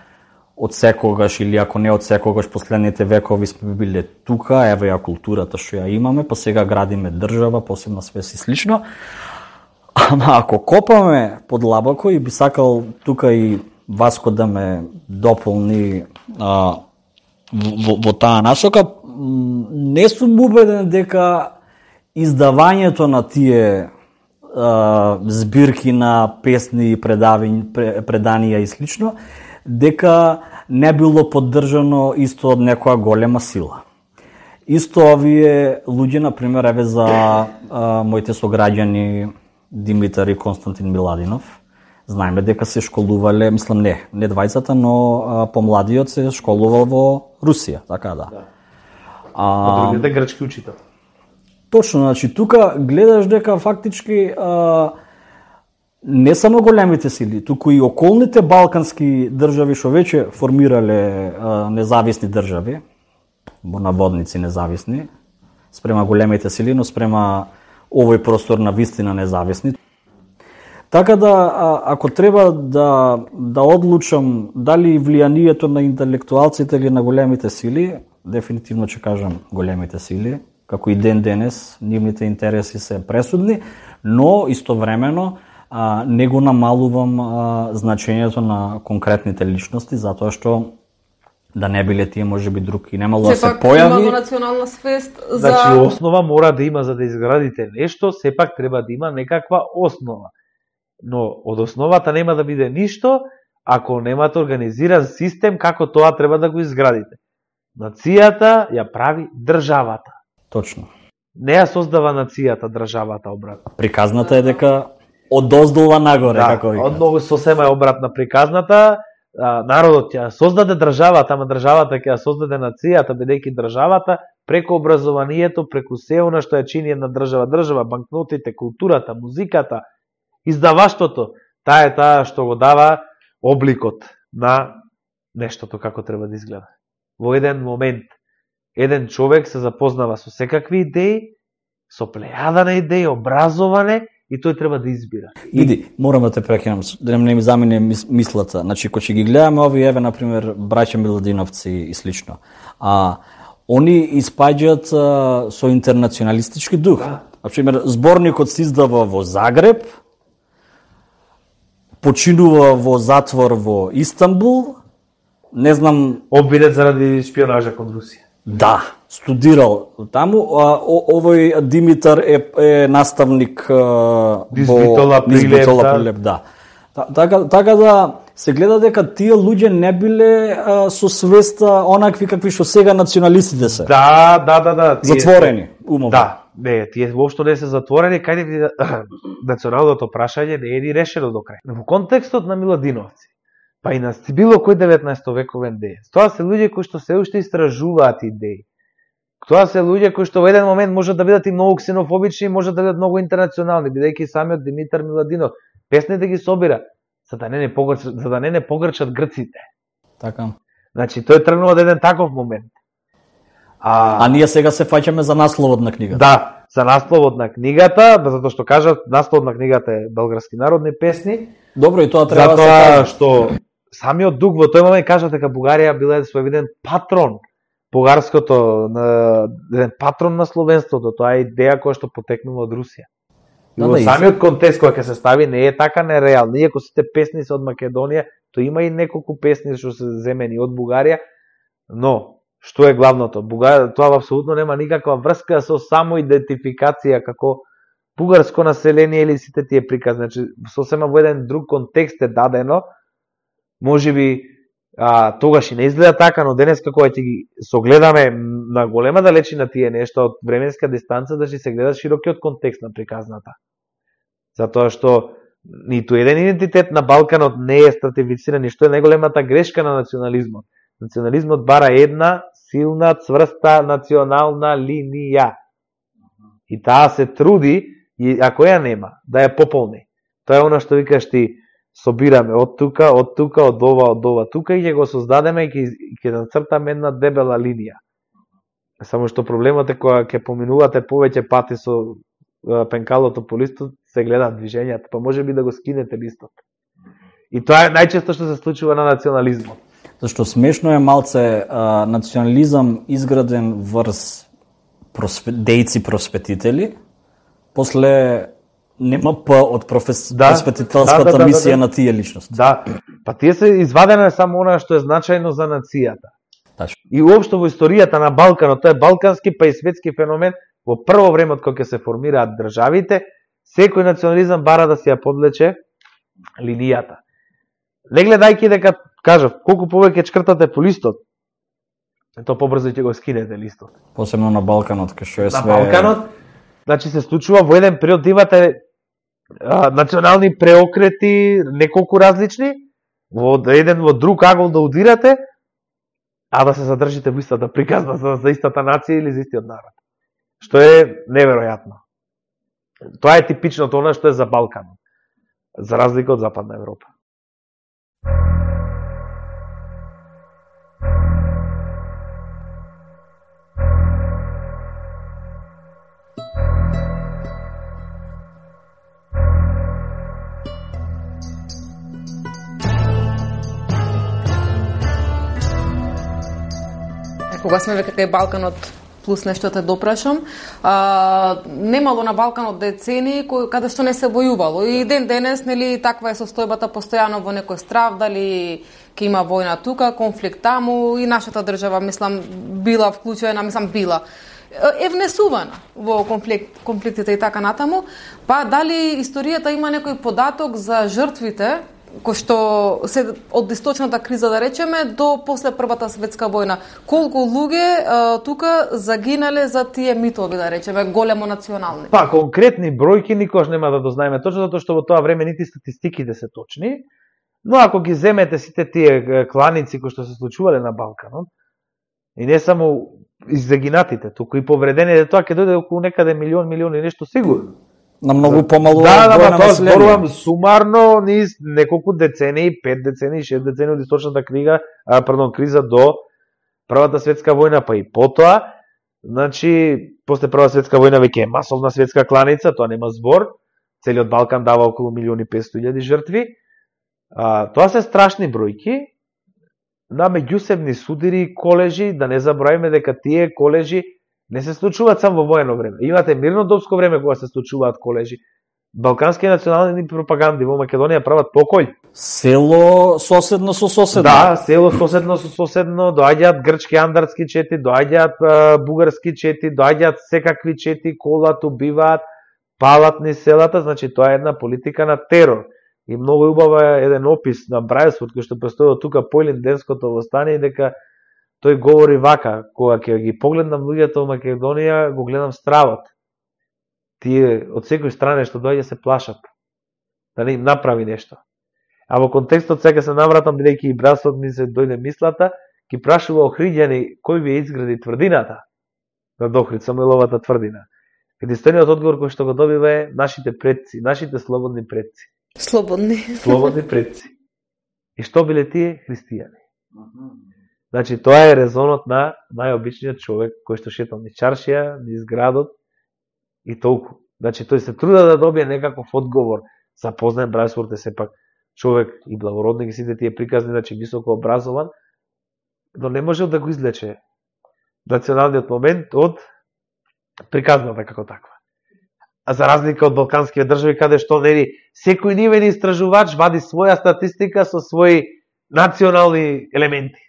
од секогаш или ако не од секогаш последните векови сме биле тука, еве ја културата што ја имаме, па сега градиме држава, посебна свес и слично. Ама ако копаме подлабоко и би сакал тука и Васко да ме дополни во таа насока, не сум убеден дека издавањето на тие збирки на песни, преданија и слично, дека не било поддржано исто од некоја голема сила. Исто овие луѓе, например, еве за моите сограѓани Димитар и Константин Миладинов, знаеме дека се школувале, мислам не двајцата, но помладиот се школувал во Русија, така да. А другите грчки учител. Точно, значи тука гледаш дека фактички не само големите сили, туку и околните балкански држави што веќе формирале независни држави, во наводници независни, спрема големите сили, но спрема овој простор на вистина независни. Така да, ако треба да одлучам дали влијанието на интелектуалците или на големите сили, дефинитивно ќе кажам големите сили, како и ден денес, нивните интереси се пресудни, но истовремено не го намалувам значењето на конкретните личности, затоа што да не биле тие можеби друг и немало да се појави. Има национална свест за... Значи, основа мора да има за да изградите нешто, сепак треба да има некаква основа. Но од основата нема да биде ништо, ако немате организиран систем како тоа треба да го изградите. Нацијата ја прави државата. Точно. Не ја создава нацијата државата обратно. Приказната е дека одоздолва нагоре, како вика. Одново сосема е обратна приказната. Народот ја создаде државата, ама државата ќе ја создаде нацијата, бидејќи државата преку образованието, преку се она што ја чини една држава, банкнотите, културата, музиката, издаваштвото, таа е таа што го дава обликот на нештото како треба да изгледа. Во еден момент, еден човек се запознава со секакви идеи, со плејада на идеи, образоване, и тој треба да избира. Иди, морам да те прекинам, да не ми замине мислата. Значи, кога ќе ги гледаме ови, еве, например, браќа Миладиновци и слично, они испаѓаат со интернационалистички дух. Да. Например, зборникот се издава во Загреб, починува во затвор во Истанбул, не знам... Обвинет заради шпионажа кон Русија. Да, студирал таму. Овој Димитар е наставник Низбитола Прилеп, да. Така да, се гледа дека тие луѓе не биле со свеста онакви какви што сега националистите се. Да. Затворени умови. Да, не, тие воопшто не се затворени, кај националното прашање не е ни решено до крај. Во контекстот на Миладиновци, па и на било кој 19 вековен деец, тоа се луѓе кои што се уште истражуваат идеи. Тоа се луѓе кои што во еден момент можат да бидат и многу ксенофобични, можат да бидат многу интернационални, бидејќи самиот Димитар Миладинов песните ги собира за да не погрчат грците. Така. Значи тој тргнува од еден таков момент. А ние сега се фаќаме за насловот на книгата. Да, за насловот на книгата, затоа што кажат насловот на книгата е Белгарски народни песни. Добро, и тоа треба да се каже. каже. Што самиот дух во тој момент кажа дека Бугарија била своевиден патрон бугарското, еден патрон на словенството, тоа е идеја која што потекнува од Русија. И во самиот контекст кој ќе се стави не е така нереална. Иако сите песни се од Македонија, тоа има и неколку песни што се земени од Бугарија, но што е главното? Тоа апсолутно нема никаква врска со само идентификација како бугарско население или сите тие приказни. Значи, сосема во еден друг контекст е дадено, можеби тогаш и не изгледа така, но денеска кога ќе ги согледаме на голема далечина тие нешта од временска дистанца, да се гледа широкиот контекст на приказната. Затоа што ниту еден идентитет на Балканот не е стратифициран, и што е најголемата грешка на национализмот. Национализмот бара една силна, цврста национална линија. И таа се труди, и ако ја нема, да ја пополни. Тоа е она што викаш ти, собираме од тука, од ова, тука и ќе го создадеме и ќе нацртаме една дебела линија. Само што проблемот е кога ќе поминувате повеќе пати со пенкалото по листот, се гледаат движењата, па може би да го скинете листот. И тоа е најчесто што се случува на национализмот. Зашто смешно е малце национализам изграден врз дејци просветители, после нема од просветителската мисија на тие личности. Да, па тие се извадено е само она што е значајно за нацијата. И уопшто во историјата на Балканот, тоа е балкански па и светски феномен, во прво време од кога се формираат државите, секој национализам бара да се ја подлече линијата. Не гледајќи дека, кажав, колку повеќе чкртате по листот, то побрзо ќе го скинете листот. Посебно на Балканот, кај што е све... На Балканот, значи се случува во еден период да имате национални преокрети, неколку различни, во еден во друг агол да удирате, а да се задржите во истата приказна за истата нација или за истиот народ. Што е неверојатно. Тоа е типичното она што е за Балканот, за разлика од Западна Европа. Кога сме веќе кај Балканот, плюс нешто те допрашам, немало на Балканот децени каде што не се војувало. И ден денес, нели, таква е состојбата постојано во некој страв, дали ќе има војна тука, конфликт таму, и нашата држава, мислам, била вклучена, била е внесувана во конфликтите и така натаму. Па дали историјата има некој податок за жртвите кој што се од источната криза, да речеме, до после Првата светска војна. Колку луѓе тука загинале за тие митови, да речеме, големо национални? Па, конкретни бројки никош нема да дознаеме точно, затоа што во тоа време нити статистиките се точни, но ако ги земете сите тие кланици кои што се случувале на Балканот, и не само загинатите, туку и повредените, тоа ќе дојде околу некаде милион и нешто сигурно. На многу помалу војна население. Зборувам сумарно низ неколку децении, 5 децении, 6 децении од источната криза до Првата светска војна, па и потоа. Значи, после Прва светска војна веќе е масовна светска кланица, тоа нема збор. Целиот Балкан дава околу 1.500.000 жртви. Тоа се страшни бројки на меѓусебни судири и колежи, да не забравиме дека тие колежи не се случуваат само во воено време. Имате мирнодопско време кога се случуваат колежи. Балкански национални пропаганди во Македонија прават покој. Село соседно со соседно. Да, село соседно со соседно, доаѓаат грчки андарски чети, доаѓаат бугарски чети, доаѓаат секакви чети, колат, убиваат, палат низ селата, значи тоа е една политика на терор. И многу убава еден опис на Брајсфорд, кој што постои тука по Илинденското востание, дека тој говори вака: кога ќе ги погледнам луѓето во Македонија, го гледам стравот. Тие од секој стране што доаѓа се плашат да не им направи нешто. А во контекстот сега се навратам, бидејќи и Брајсфорд ми се дојде мислата, ги прашува Охриѓани кој ви изгради тврдината на Дохрид, Самуиловата тврдина. Единствениот одговор кој што го добива е нашите предци, нашите слободни предци. Слободни предци. И што биле тие? Христијани. Значи, тоа е резонот на најобичниот човек кој што шетал низ чаршија, низ градот и толку. Значи, тој се труда да добие некаков одговор. Запознаен Брајсфорд е сепак човек и благородник и сите тие приказни, значи високо образован, но не можел да го излече националниот момент од приказната како таква. А за разлика од балканските држави, каде што нели секој нивен истражувач вади своја статистика со своји национални елементи.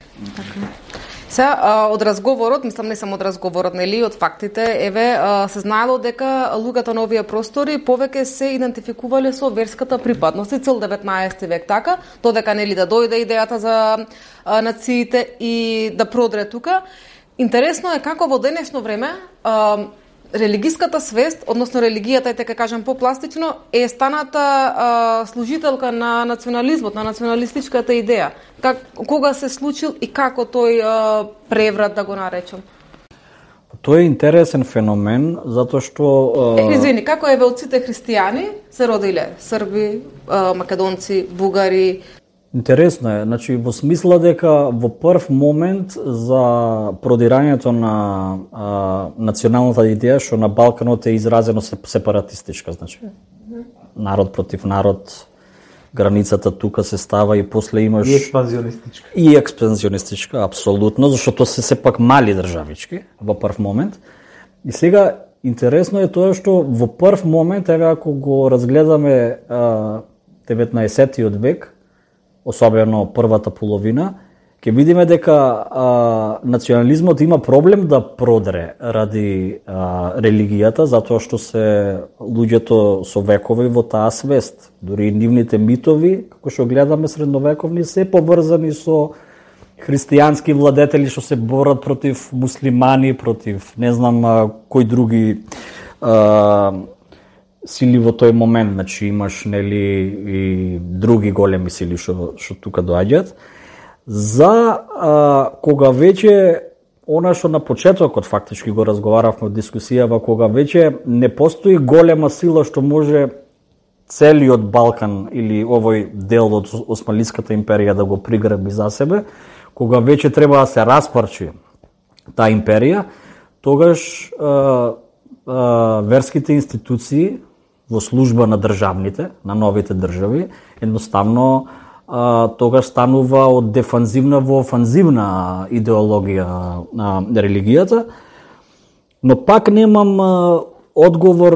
Сега, од разговорот, мислам не само од разговорот, нели, од фактите, еве, се знаело дека луѓето на овие простори повеќе се идентификувале со верската припадност и цел 19 век така, додека нели да дојде идејата за нациите и да продре тука. Интересно е како во денешно време религиската свест, односно религијата, е така кажам попластично, е станата служителка на национализмот, на националистичката идеја. Кога се случил и како тој преврат, да го наречам? Тој е интересен феномен, затоа што... Извини, како еве од сите христијани се родиле? Срби, македонци, бугари... Интересно е, значи во смисла дека во прв момент за продирањето на националната идеја што на Балканот е изразено сепаратистичка, значи народ против народ, границата тука се става и после имаш и експанзионистичка. И експанзионистичка, апсолутно, зашто се сепак мали државички во прв момент. И сега интересно е тоа што во прв момент, еве ако го разгледаме 19-тиот век, особено првата половина, ќе видиме дека национализмот има проблем да продре ради религијата, затоа што се луѓето со векови во таа свест. Дури нивните митови, како што гледаме средновековни, се поврзани со христијански владетели што се борат против муслимани, против не знам кои други сили во тој момент, значи имаш нели и други големи сили што тука доаѓаат. За кога веќе она што на почетокот фактички го разговаравме од дискусијава, кога веќе не постои голема сила што може целиот Балкан или овој дел од Османлиската империја да го приграби за себе, кога веќе треба да се распарчи таа империја, тогаш верските институции во служба на државните, на новите држави, едноставно тогаш станува од дефанзивна во офанзивна идеологија на религијата, но пак немам одговор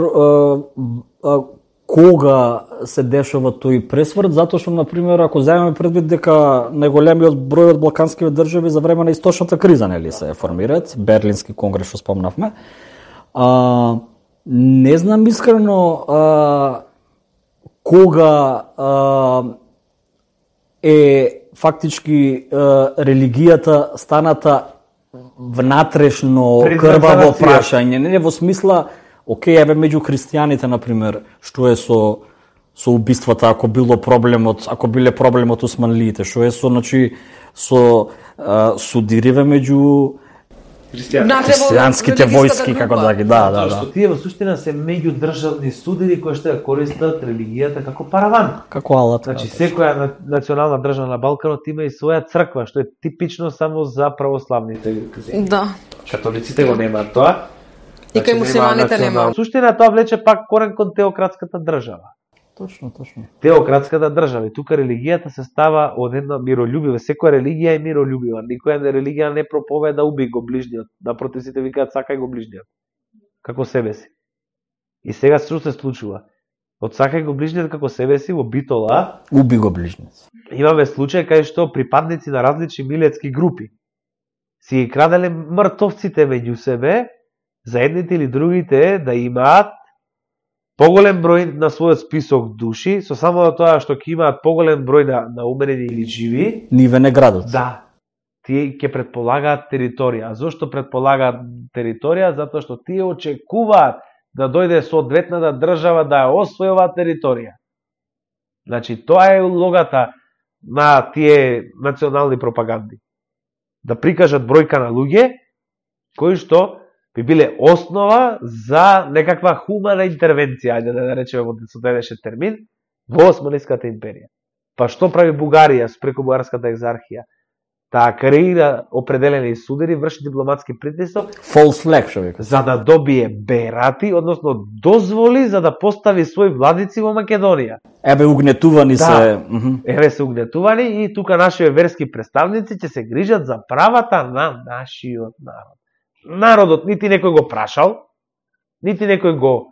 кога се дешава тој пресврт, затоа што, например, ако земеме предвид дека најголемиот број од балканските држави за време на источната криза нели се формираат, Берлински конгрес што спомнавме, не знам искрено кога е фактички религијата станата внатрешно крваво прашање, не во смисла, окей, еве меѓу христијаните, например, што е со убиствата, ако биле проблемот османлиите, што е со, значи, со судириве меѓу христијанските војски, како да ги, да. Што тие во суштина се меѓудржавни судири кои што ја користат религијата како параван. Како алат. Значи секоја национална држава на Балканот има и своја црква, што е типично само за православните земји. Да. Католиците го немаат тоа. И кај муслиманите нема. Суштина тоа влече пак корен кон теократската држава. Точно. Теократската држава. И тука религијата се става од една миролюбива. Секоја религија е миролюбива. Никоја религија не проповеда уби го ближниот. Напротив, сите викаат сакај го ближниот. Како себе си. И сега што се случува? Од сакај го ближниот како себе си во Битола, уби го ближниот. Имаме случај кај што припадници на различни милетски групи си ги краделе мртовците меѓу себе, за едните или другите да имаат поголем број на својот список души, со само тоа што ќе имаат поголем број на умерени или живи, ниве не градот. да, тие ќе предполагаат територија. А зошто предполагаат територија? Затоа што тие очекуваат да дојде соодветната држава да ја освои оваа територија. Значи, тоа е улогата на тие национални пропаганди. Да прикажат бројка на луѓе кои што би биле основа за некаква хумана интервенција, ајде да речеме со денешен термин, во Османската империја. Па што прави Бугарија преку бугарската екзархија? Таа креира определени судери, врши дипломатски притисок, False flag, што вика. за да добие берати, односно дозволи за да постави своји владици во Македонија. Ебе угнетувани се. Еве се угнетувани и тука нашите верски представници ќе се грижат за правата на нашиот народ. Народот нити некој го прашал, нити некој го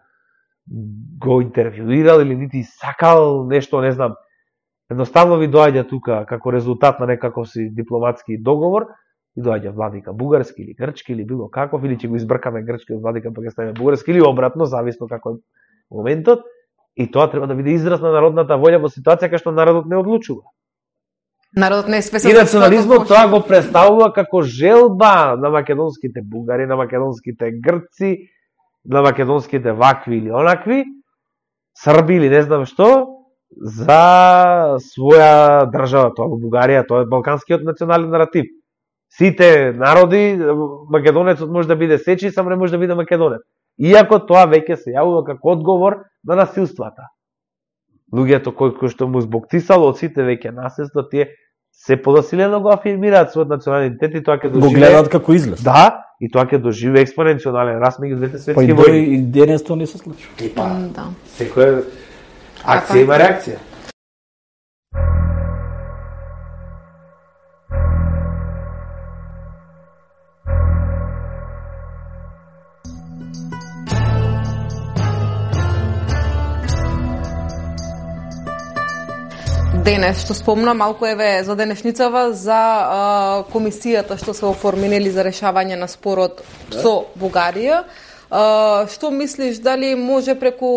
интервјуирал или нити сакал нешто, не знам. Едноставно ви доаѓа тука како резултат на некаков си дипломатски договор и доаѓа владика бугарски или грчки или било каков, или ќе го избркаме грчкиот владика па ќе ставиме бугарски или обратно, зависно како е моментот. И тоа треба да биде израз на народната волја во ситуација кај што народот не одлучува. Народот не е спесан. И национализмот тоа го представува како желба на македонските бугари, на македонските грци, на македонските вакви или онакви, срби или не знам што, за своја држава. Тоа во Бугарија, тоа е балканскиот национален наратив. Сите народи, македонецот може да биде сечи, само не може да биде македонец. Иако тоа веќе се јавува како одговор на насилствата. Луѓето кои што му збоктисало од сите веќе насилства, тие се подосилено го афирмираат својот национален идентитет и тоа ќе доживее. Го гледаат како излез. Да, и тоа ќе доживее експоненционален раст меѓу двете Па светски и војни. и денес тоа не се случува. Да. Секоја акција има реакција. Денес, што спомна малку еве за денешницава, за комисијата што се оформинели за решавање на спорот со Бугарија. Што мислиш, дали може преку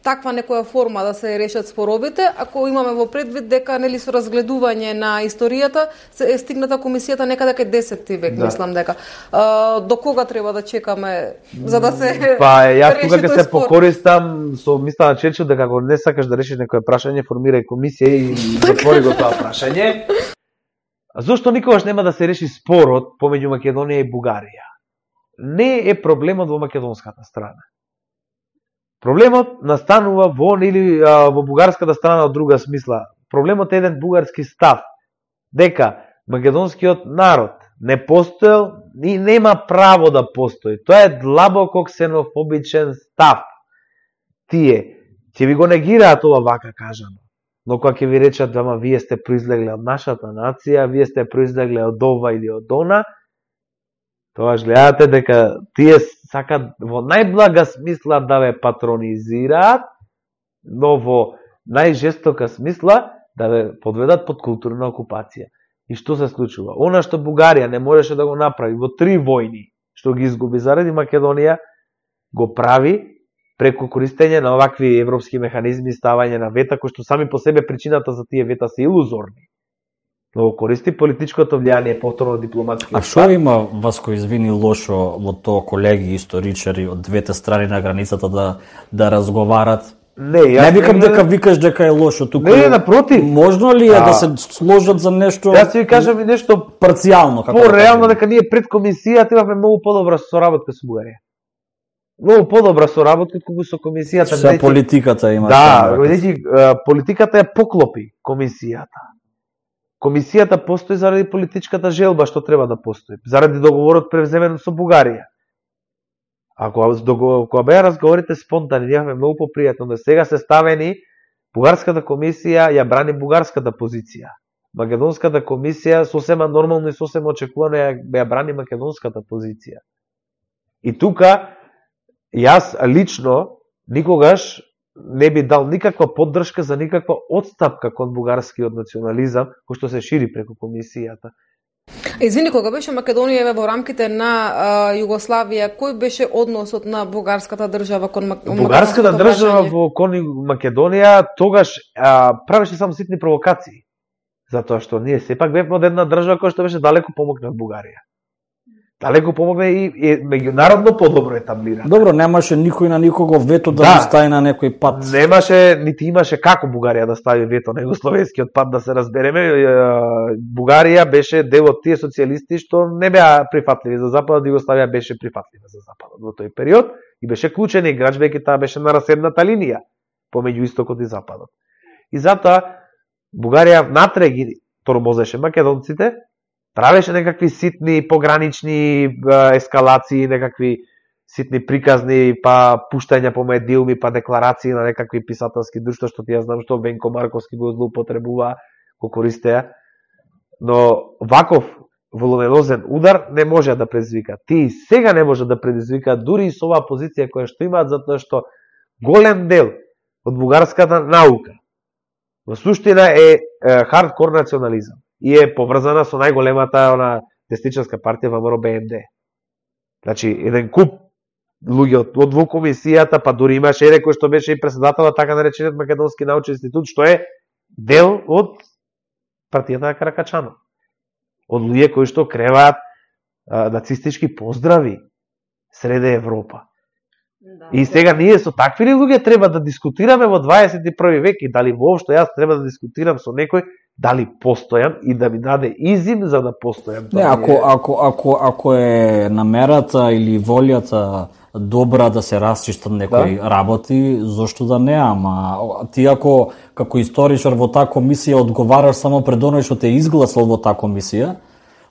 таква некоја форма да се решат споровите, ако имаме во предвид дека нели со разгледување на историјата се е стигната комисијата некаде кај 10 век, мислам дека. До кога треба да чекаме за да се Па јас тука реши ќе тој се спор? покористам со мисла на Черчил дека ако не сакаш да решиш некое прашање, формирај комисија и затвори го тоа прашање. Зошто никогаш нема да се реши спорот помеѓу Македонија и Бугарија? Не е проблемот во македонската страна. Проблемот настанува во бугарската страна од друга смисла. Проблемот е еден бугарски став, дека македонскиот народ не постоел и нема право да постои. Тоа е длабоко ксенофобичен став. Тие ќе ви го негираат ова вака кажано. Но кога ќе ви речат, ама вие сте произлегле од нашата нација, вие сте произлегле од ова или од она, тогаш гледате дека тие сакат во најблага смисла да ве патронизираат, но во најжестока смисла да ве подведат под културна окупација. И што се случува? Она што Бугарија не можеше да го направи во 3 војни, што ги изгуби заради Македонија, го прави преку користење на овакви европски механизми, ставање на вета, кои што сами по себе причината за тие вета се илузорни. Но го користи политичкото влијание, повторно дипломатски. А што има, Васко, извини, лошо во тоа колеги историчари од двете страни на границата да разговарат? Не викам дека викаш дека е лошо тука. Не, напротив. Можно ли е да се сложат за нешто? Јас ќе ви кажам и нешто парцијално, како по-реално, дека ние пред комисијата имавме многу подобра соработка со Бугарија. Многу подобра соработка колку со комисијата. Се политиката има. Да, политиката ја поклопи комисијата. Комисијата постои заради политичката желба што треба да постои, заради договорот превземен со Бугарија. Ако беа разговорите спонтани, имаме многу попријатно, но сега се ставени, бугарската комисија ја брани бугарската позиција. Македонската комисија сосема нормално и сосема очекувано ја брани македонската позиција. И тука, јас лично никогаш не би дал никаква поддршка за никаква отстапка кон бугарскиот национализам, кој што се шири преку комисијата. Извини, кога беше Македонија во рамките на Југославија, кој беше односот на бугарската држава кон Бугарската држава кон Македонија тогаш правеше само ситни провокации. Затоа што ние сепак бевме од една држава која што беше далеко помогна од Бугарија. Далеко помогне и меѓународно подобро етаблирана. Добро, немаше никој на никого вето да му стави на некој пат. Немаше, нити имаше како Бугарија да стави вето на југословенскиот пат, да се разбереме. Бугарија беше дел од тие социјалисти што не беа прифатливи за Западот, Југославија беше прифатлива за Западот во тој период и беше клучен играч, веќе таа беше на раседната линија помеѓу Истокот и Западот. И затоа Бугарија внатре ги тормозеше македонците, правеше некакви ситни погранични ескалации, некакви ситни приказни, па пуштања по медиуми, па декларации на некакви писателски друштва, што ти ја знам што Венко Марковски го злоупотребува, го користеа. Но ваков волуминозен удар не може да предизвика. Ти сега не може да предизвика, дури и со оваа позиција која што имаат, затоа што голем дел од бугарската наука во суштина е хардкор национализам и е поврзана со најголемата десничарска партија ВМРО БНД. Значи, еден куп луѓе од во комисијата, па дури имаше еден кој што беше и председател на така наречениот Македонски научен институт, што е дел од партијата на Каракачанов. Од луѓе кои што креваат нацистички поздрави среде Европа. И сега ние со такви ли луѓе треба да дискутираме во 21 век и дали воопшто јас треба да дискутирам со некој дали постојам и да ми даде изим за да постојам. Не, ако е намерата или волјата добра да се расчистат некои работи, зошто да не, ама ти ако како историчар во таа комисија одговараш само пред оној што те изгласал во таа комисија,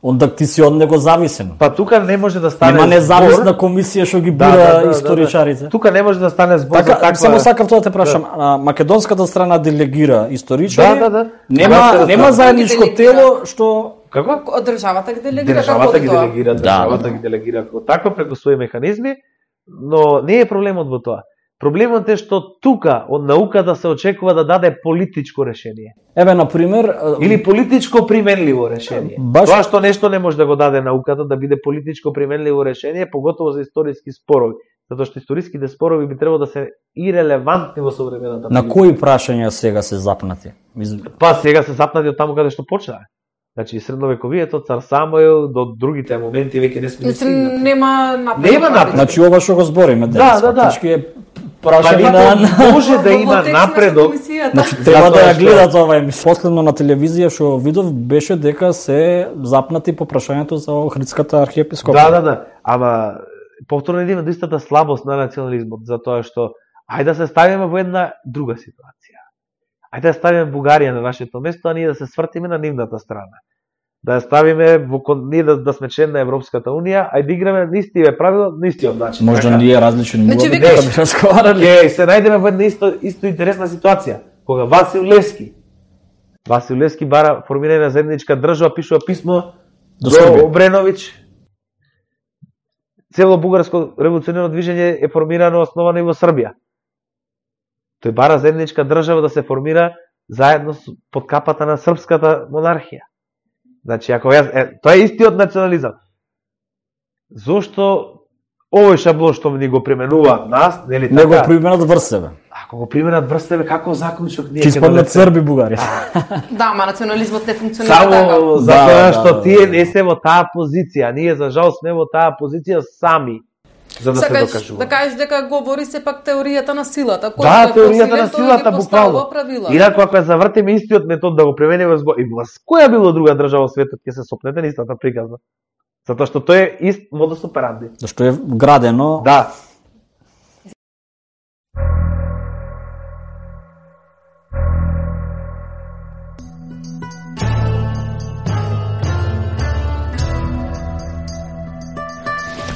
онда ти си од него зависен. Па тука не може да стане збор. Нема независна комисија што ги бира историчарите. Тука не може да стане збор така, за таква. Само сакав тоа те прашам. Македонската страна делегира историчари. Нема заедничко тело што како? Државата ги делегира. Државата ги делегира како таква преку своји механизми, но не е проблемот во тоа. Проблемот е што тука од науката се очекува да даде политичко решение. Еве, например, или политичко применливо решение. Тоа што нешто не може да го даде науката да биде политичко применливо решение, поготово за историски спорови, затоа што историските спорови би требало да се ирелевантни во современата политика. На кои прашања сега се запнати? Па сега се запнати од таму каде што почнаа. Значи, средновековието, цар Самуил, до другите моменти веќе не сме стигнати. Нема напред. Значи, ова што го збориме денес. Може да има напредок. Значи, треба да ја гледат ова емисија. Последно на телевизија што видов беше дека се запнати по прашањето за Охридската архиепископија. Да. Ама повторно идеме до истата слабост на национализмот, затоа што ајде да се ставиме во една друга ситуација. Ајде да ставиме Бугарија на нашето место, а ние да се свртиме на нивната страна. Да ја ставиме ние да сме член на Европската унија, ајде да играме на истиве правила, на истиот начин. Можда ние различни нивови да би разговарали. Ќе се најдеме во една исто интересна ситуација, кога Васил Левски бара формирање на заедничка држава, пишува писмо до Обреновиќ. Цело бугарско револуционерно движење е формирано, основано и во Србија. Тој бара заедничка држава да се формира заедно под капата на српската монархија. Значи, ако тоа е истиот национализам. Зошто овој шаблон што ни го применуваат нас, нели така? Не го применат врз себе. Ако го применат врз себе, како заклучок ние ќе спомнат Срби Бугарија. Да, ма национализмот не функционира така. Само затоа што тие не се во таа позиција, ние за жал сме во таа позиција сами. За да се докажува. Да кажеш дека говори се пак теоријата на силата. Да, теоријата на силата, буквално. Инаку ако ја завртиме истиот метод да го премениме и во која било друга држава во светот ќе се сопнете на истата приказна. Затоа што тоа е ист модус операнди. Зашто е градено. Да.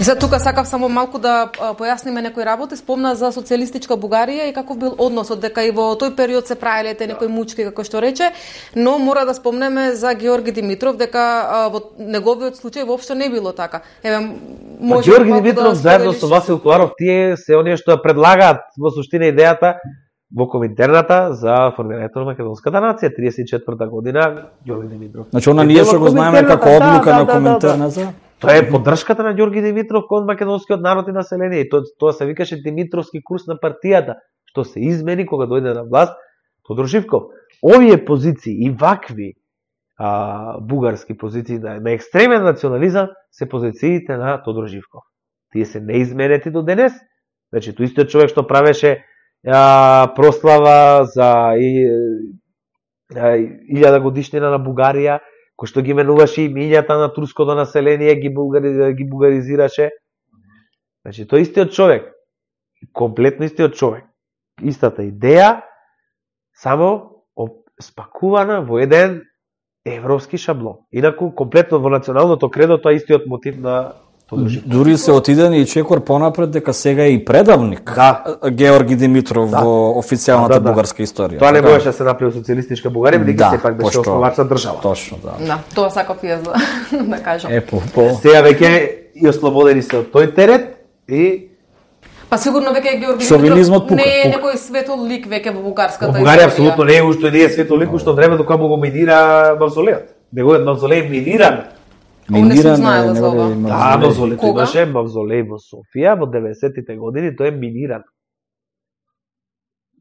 И сега тука сакав само малку да појасниме некои работи. Спомна за социјалистичка Бугарија и каков бил односот, дека и во тој период се правеле некои мучки, како што рече, но мора да спомнеме за Георги Димитров, дека во неговиот случај воопшто не било така. Еве, може Георги Димитров заедно со Васил Коларов, тие се оние што ја предлагаат во суштина идејата во Коминтерната за формирањето на македонската нација 34 година Ѓорги Димитров. Значи она ние што го знаеме како одлука на Коминтерната. Тоа е поддршката на Ѓорги Димитров кон македонскиот народ и население и тоа се викаше Димитровски курс на партијата, што се измени кога дојде на власт Тодор Живков. Овие позиции и вакви бугарски позиции на екстремен национализам се позициите на Тодор Живков. Тие се неизменети до денес. Значи, тој истиот човек што правеше прослава за 1000 годишнина на Бугарија, кој што ги менуваше имињата на турското население, ги бугаризираше. Значи, тој истиот човек, комплетно истиот човек, истата идеја, само спакувана во еден европски шаблон. Инаку, комплетно во националното кредо, тоа е истиот мотив на Тодор Живков. Дури се отидени и чекор понапред дека сега е и предавник Георги Димитров во официјалната бугарска историја. Тоа не можеше да се направи социјалистичка Бугарија, бидејќи сепак беше основачна држава. Точно, Да, тоа сакав и јас да кажам. Сега веќе и ослободени се од тој терет и Па сигурно веќе Георги Шовинизмот Димитров не е некој светол лик веќе во бугарската историја. Бугарија апсолутно не е уште не е светол лик уште време кога му го минира мавзолеот. Неговиот мавзолеј миниран. Миниран Да, мавзолеј имаше мавзолеј во Софија во 90-тите години, тој е миниран.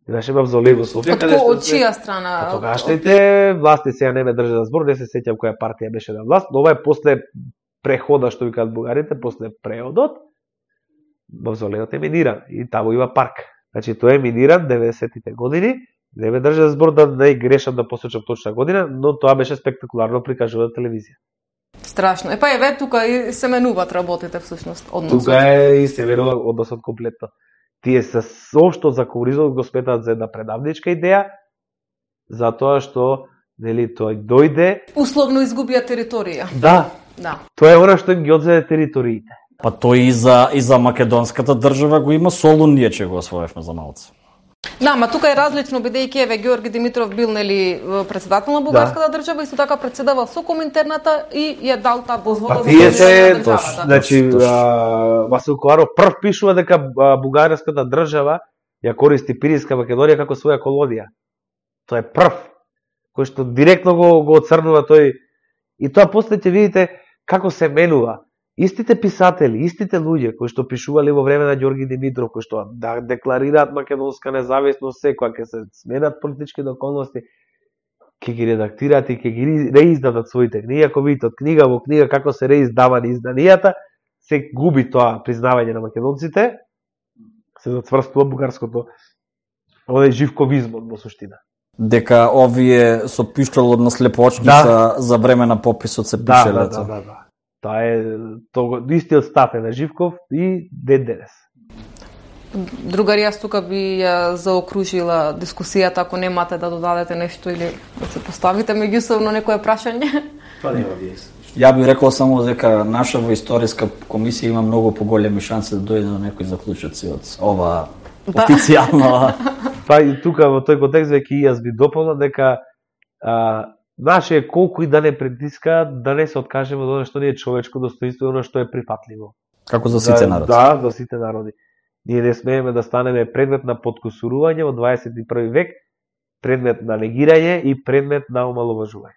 Имаше мавзолеј во Софија. Од чија страна? Од тогашните власти, сега не ме држа за збор, не се сеќам која партија беше на власт, но ова е после прехода, што викаат бугарите, после преодот, мавзолеот е миниран и таму има парк. Значи, тој е миниран 90-тите години, не ме држа за збор да не грешам да посочам точна година, но тоа беше спектакуларно прикажувано на телевизија. Страшно. Епа еве тука и се менуваат работите всушност односот. Тука е и се менува односот комплетно. Тие се соопшто за комунизмот го сметаат за една предавничка идеја, затоа што нели тој дојде условно изгубија територија. Да. Тоа е она што им ги одзеде териториите. Па тој и за македонската држава го има Солун, ние че го освоевме за малце. Да, ма тука е различно бидејќи еве Георги Димитров бил нели председател на бугарската држава, исто така председавал со Коминтерната и ја дал таа дозвола за државата. Значи Васил Коларов прв пишува дека бугарската држава ја користи Пиринска Македонија како своја колонија. Тоа е прв кој што директно го оцрнува тој и тоа после ќе видите како се менува. Истите писатели, истите луѓе кои што пишувале во време на Ѓорги Димитров, кои што декларираат македонска независност, кога ќе се сменат политичките околности, ќе ги редактираат и ќе ги реиздадат своите книги. Ако видите од книга во книга како се реиздавани изданијата, се губи тоа признавање на македонците, се зацврстува бугарското живковизмот во суштина. Дека овие со пиштолот на слепоочница за време на пописот се пишеле. Да. Тоа е истиот став е на Живков и ден денес. Другари, јас тука би ја заокружила дискусијата, ако немате да додадете нешто или да се поставите меѓусобно некое прашање. Тоа нема виес. Ја би рекол само дека наша во историска комисија има многу поголеми шанси да дојде до некои заклучоци од ова официјално. Па и тука во тој контекст веќе јас би дополнил дека наше е колку и да не притиска, да не се откажеме од оно што не е човечко достоинство и оно што е прифатливо. Како за сите народи. Да, за сите народи. Ние не смееме да станеме предмет на подкусурување во 21 век, предмет на негирање и предмет на омаловажување.